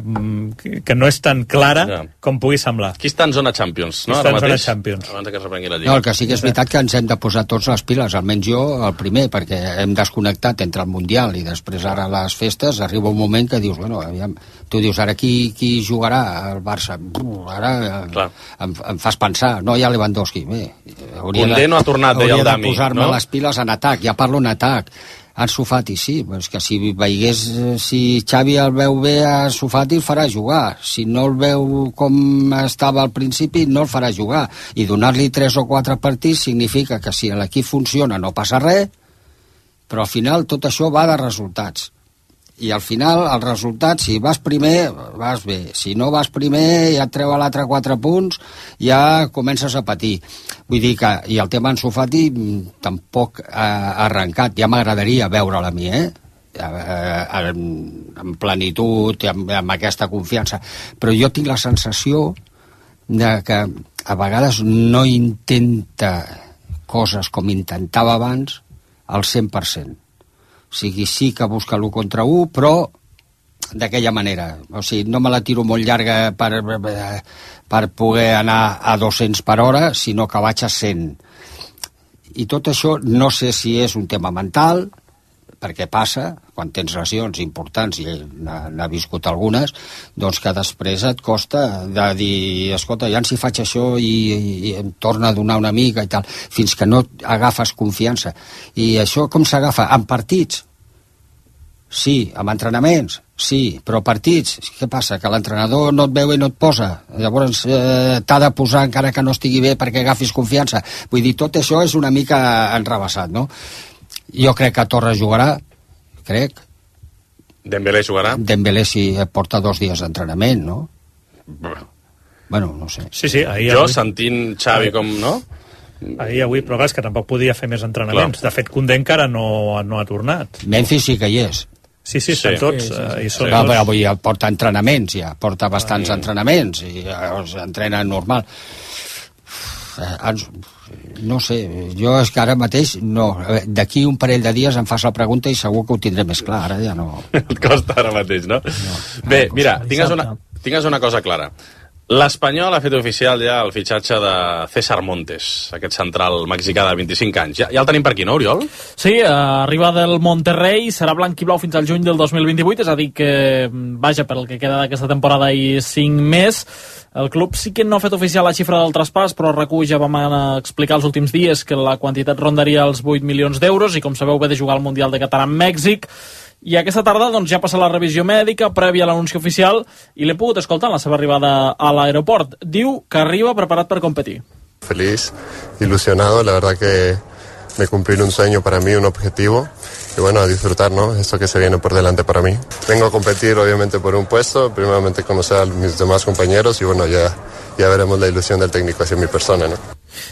que no és tan clara ja. com pugui semblar. Qui està en zona Champions, no? Qui està en zona Champions. Abans que es reprengui la Lliga. No, el que sí que és veritat que ens hem de posar tots les piles, almenys jo el primer, perquè hem desconnectat entre el Mundial i després ara les festes, arriba un moment que dius, bueno, aviam, tu dius, ara qui, qui jugarà al Barça? Ara em, em fas pensar, no hi ha Lewandowski. Bé, Condé no ha tornat, deia el Dami, de posar-me no? les piles en atac, ja parlo en atac. Ansu Fati, sí, és que si veigués, si Xavi el veu bé a Ansu Fati el farà jugar, si no el veu com estava al principi no el farà jugar, i donar-li tres o quatre partits significa que si l'equip funciona no passa res, però al final tot això va de resultats. I al final el resultat, si vas primer vas bé, si no vas primer ja et treu a l'altre quatre punts, ja comences a patir. Vull dir que, i el tema Ansu Fati tampoc ha arrencat, ja m'agradaria veure'l a mi, eh? En, en plenitud, amb, amb aquesta confiança, però jo tinc la sensació de que a vegades no intenta coses com intentava abans al cent per cent. O sigui, sí que busca l'u contra u, però d'aquella manera. O sigui, no me la tiro molt llarga per, per poder anar a dos-cents per hora, sinó que vaig a cent. I tot això no sé si és un tema mental, perquè passa, quan tens lesions importants, i ell n'ha viscut algunes, doncs que després et costa de dir, escolta, ja si faig això i, i, i em torna a donar una mica i tal, fins que no agafes confiança. I això com s'agafa? En partits? Sí. Amb entrenaments? Sí. Però partits? Què passa? Que l'entrenador no et veu i no et posa. Llavors eh, t'ha de posar encara que no estigui bé perquè agafis confiança. Vull dir, tot això és una mica enrebaçat, no? Jo crec que Torres jugarà, crec. Dembélé jugarà? Dembélé si porta dos dies d'entrenament, no? Bueno. Bueno, no sé. Sí, sí, ahir jo avui... sentint Xavi com, no? Ahir, avui, però clar, és que tampoc podia fer més entrenaments. Clar. De fet, Koundé encara no, no ha tornat. Memphis sí que hi és. Sí, sí, estan sí. tots. Sí, sí, sí. I són no, tots... però avui porta entrenaments, ja. Porta bastants ah, entrenaments i els entrena normal. No sé, jo és que ara mateix no. D'aquí un parell de dies em fas la pregunta i segur que ho tindré més clar. Ara ja no... Et costa ara mateix, no? no. Bé, mira, tingues una, tingues una cosa clara. L'Espanyol ha fet oficial ja el fitxatge de César Montes, aquest central mexicà de vint-i-cinc anys. Ja, ja el tenim per aquí, no, Oriol? Sí, uh, arriba del Monterrey, serà blanc i blau fins al juny del dos mil vint-i-vuit, és a dir que, vaja, per el que queda d'aquesta temporada i cinc més. El club sí que no ha fet oficial la xifra del traspàs, però recull ja vam explicar els últims dies que la quantitat rondaria els vuit milions d'euros i, com sabeu, ve de jugar al Mundial de Qatar amb Mèxic. I aquesta tarda doncs, ja passa la revisió mèdica prèvia a l'anunci oficial i l'he pogut escoltar en la seva arribada a l'aeroport. Diu que arriba preparat per competir. Feliz, ilusionado, la verdad que me cumplir un sueño para mí, un objetivo y bueno, a disfrutar, ¿no? Esto que se viene por delante para mí. Vengo a competir obviamente por un puesto, primeramente conocer a mis demás compañeros y bueno, ya, ya veremos la ilusión del técnico hacia mi persona, ¿no?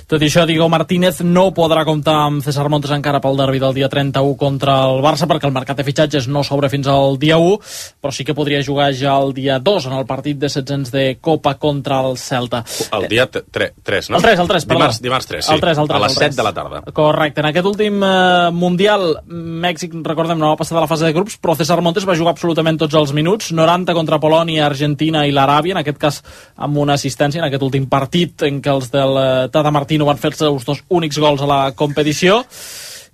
Tot i això, Diego Martínez no podrà comptar amb César Montes encara pel derbi del dia trenta-u contra el Barça perquè el mercat de fitxatges no s'obre fins al dia u, però sí que podria jugar ja el dia dos en el partit de setzents de Copa contra el Celta. El dia tres, no? El tres, el tres, perdó. Dimarts, dimarts tres, sí. El tres, el tres, a les set de la tarda. Correcte. En aquest últim eh, Mundial, Mèxic, recordem, no va passar de la fase de grups, però César Montes va jugar absolutament tots els minuts, noranta contra Polònia, Argentina i l'Aràbia, en aquest cas amb una assistència en aquest últim partit en què els del Tata Martino van fer els seus dos únics gols a la competició.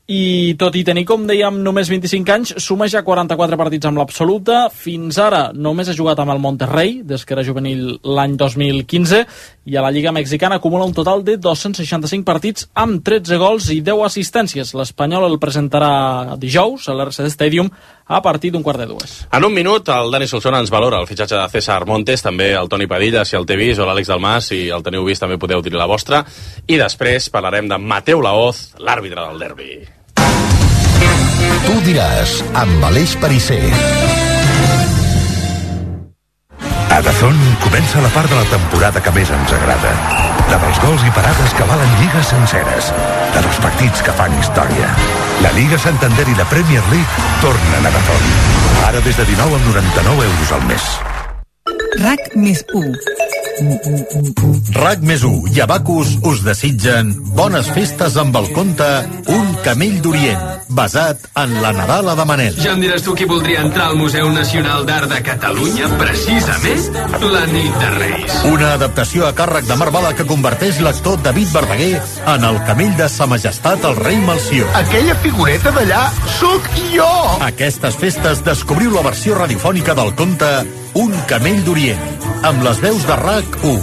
I tot i tenir, com dèiem, només vint-i-cinc anys, suma ja quaranta-quatre partits amb l'absoluta. Fins ara només ha jugat amb el Monterrey, des que era juvenil l'any dos mil quinze, i a la Lliga Mexicana acumula un total de dos-cents seixanta-cinc partits amb tretze gols i deu assistències. L'Espanyol el presentarà dijous a l'R C D Stadium a partir d'un quart de dues. En un minut, el Dani Solsona ens valora el fitxatge de César Montes, també el Toni Padilla, si el té vist, o l'Àlex Dalmàs, si el teniu vist també podeu dir la vostra, i després parlarem de Mateu Laoz, l'àrbitre del derbi. Tu diràs, amb Aleix Perisser. A Dazón comença la part de la temporada que més ens agrada. La dels gols i parades que valen lligues senceres. La dels partits que fan història. La Lliga Santander i la Premier League tornen a Dazón. Ara des de dinou amb noranta-nou euros al mes. RAC més u. RAC més u i Abacus us desitgen bones festes amb el conte Un camell d'Orient, basat en la Nadala de Manel. Ja em diràs tu qui voldria entrar al Museu Nacional d'Art de Catalunya, precisament la nit de Reis. Una adaptació a càrrec de Marc Bala que converteix l'actor David Verdaguer en el camell de Sa Majestat el rei Melcior. Aquella figureta d'allà sóc jo! Aquestes festes descobriu la versió radiofònica del conte Un camell d'Orient, amb les veus de RAC u,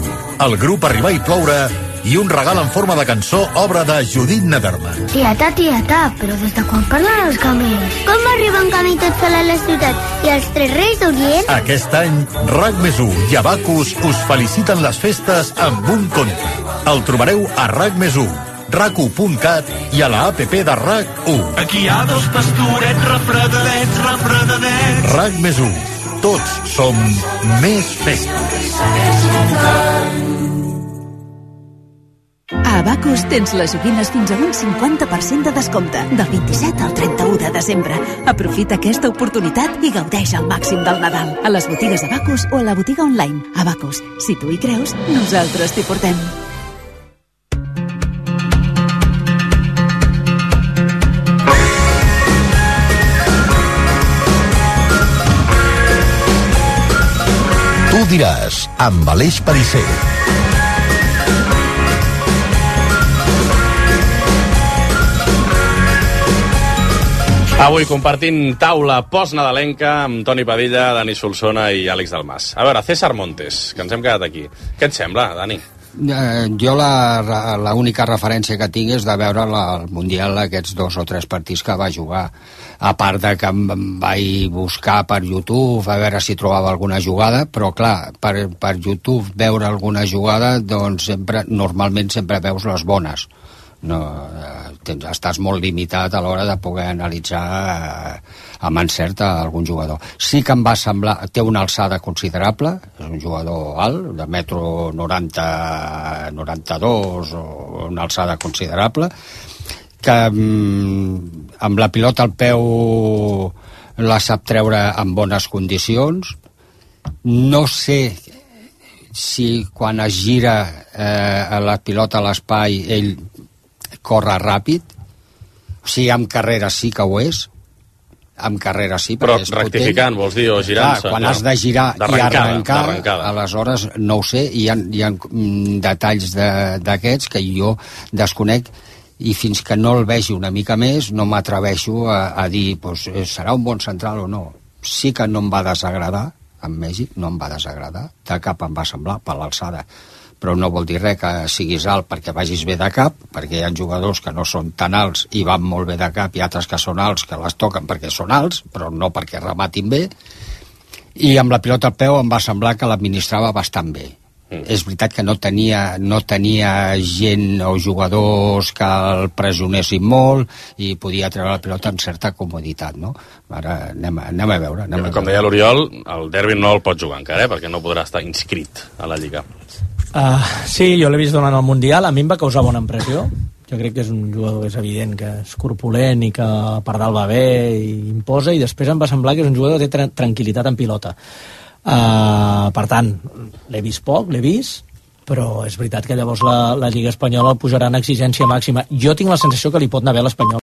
el grup Arribar i Ploure i un regal en forma de cançó, obra de Judit Nederman. Tieta, tieta, però des de quan parlen els camells? Com arriba un camell tot sol a la ciutat i els tres reis d'Orient? Aquest any, RAC més u i Abacus us feliciten les festes amb un conte. El trobareu a RAC més u, rac u punt cat i a la app de RAC u. Aquí hi ha dos pastorets refredadets, refredadets. RAC més u. Tots som més festes. A Abacus tens les joguines fins a un cinquanta per cent de descompte, del vint-i-set al trenta-u de desembre. Aprofita aquesta oportunitat i gaudeix al màxim del Nadal. A les botigues Abacus o a la botiga online. Abacus, si tu hi creus, nosaltres t'hi portem. Tu diràs, amb Aleix Perisser. Avui compartint taula postnadalenca amb Toni Padilla, Dani Solsona i Àlex Dalmas. A veure, César Montes, que ens hem quedat aquí. Què et sembla, Dani? Eh, jo la, la única referència que tinc és de veure la, el Mundial, aquests dos o tres partits que va jugar, a part de que em vaig buscar per YouTube a veure si trobava alguna jugada, però clar, per, per YouTube veure alguna jugada, doncs sempre, normalment sempre veus les bones. No, eh, tens, estàs molt limitat a l'hora de poder analitzar eh, amb encert a algun jugador. Sí que em va semblar, té una alçada considerable, és un jugador alt, de metro noranta, noranta-dos, o una alçada considerable, que mm, amb la pilota al peu la sap treure en bones condicions. No sé si quan es gira eh, la pilota a l'espai ell corre ràpid, o sigui, amb carrera sí que ho és, amb carrera sí, però és rectificant, potent. Vols dir, o girant-se? Quan clar, has de girar i arrencar, aleshores no ho sé, hi ha, hi ha detalls d'aquests que jo desconec, i fins que no el vegi una mica més no m'atreveixo a, a dir pues, serà un bon central o no. Sí que no em va desagradar, en Mèxic no em va desagradar, de cap em va semblar per l'alçada, però no vol dir res que siguis alt perquè vagis bé de cap, perquè hi ha jugadors que no són tan alts i van molt bé de cap, i altres que són alts que les toquen perquè són alts, però no perquè rematin bé, i amb la pilota al peu em va semblar que l'administrava bastant bé. Mm. És veritat que no tenia, no tenia gent o jugadors que el pressionessin molt i podia treure la pilota amb certa comoditat, no? Ara anem, anem a veure. Anem a Com veure. deia l'Oriol, el derbi no el pot jugar encara, eh? Perquè no podrà estar inscrit a la Lliga. Uh, sí, jo l'he vist durant el Mundial, a mi em va causar bona impressió. Jo crec que és un jugador que és evident que és corpulent i que per dalt va bé i imposa, i després em va semblar que és un jugador que té tra tranquil·litat en pilota. Uh, per tant, l'he vist poc, l'he vist, però és veritat que llavors la, la Lliga Espanyola el posarà en exigència màxima. Jo tinc la sensació que li pot anar bé l'Espanyol.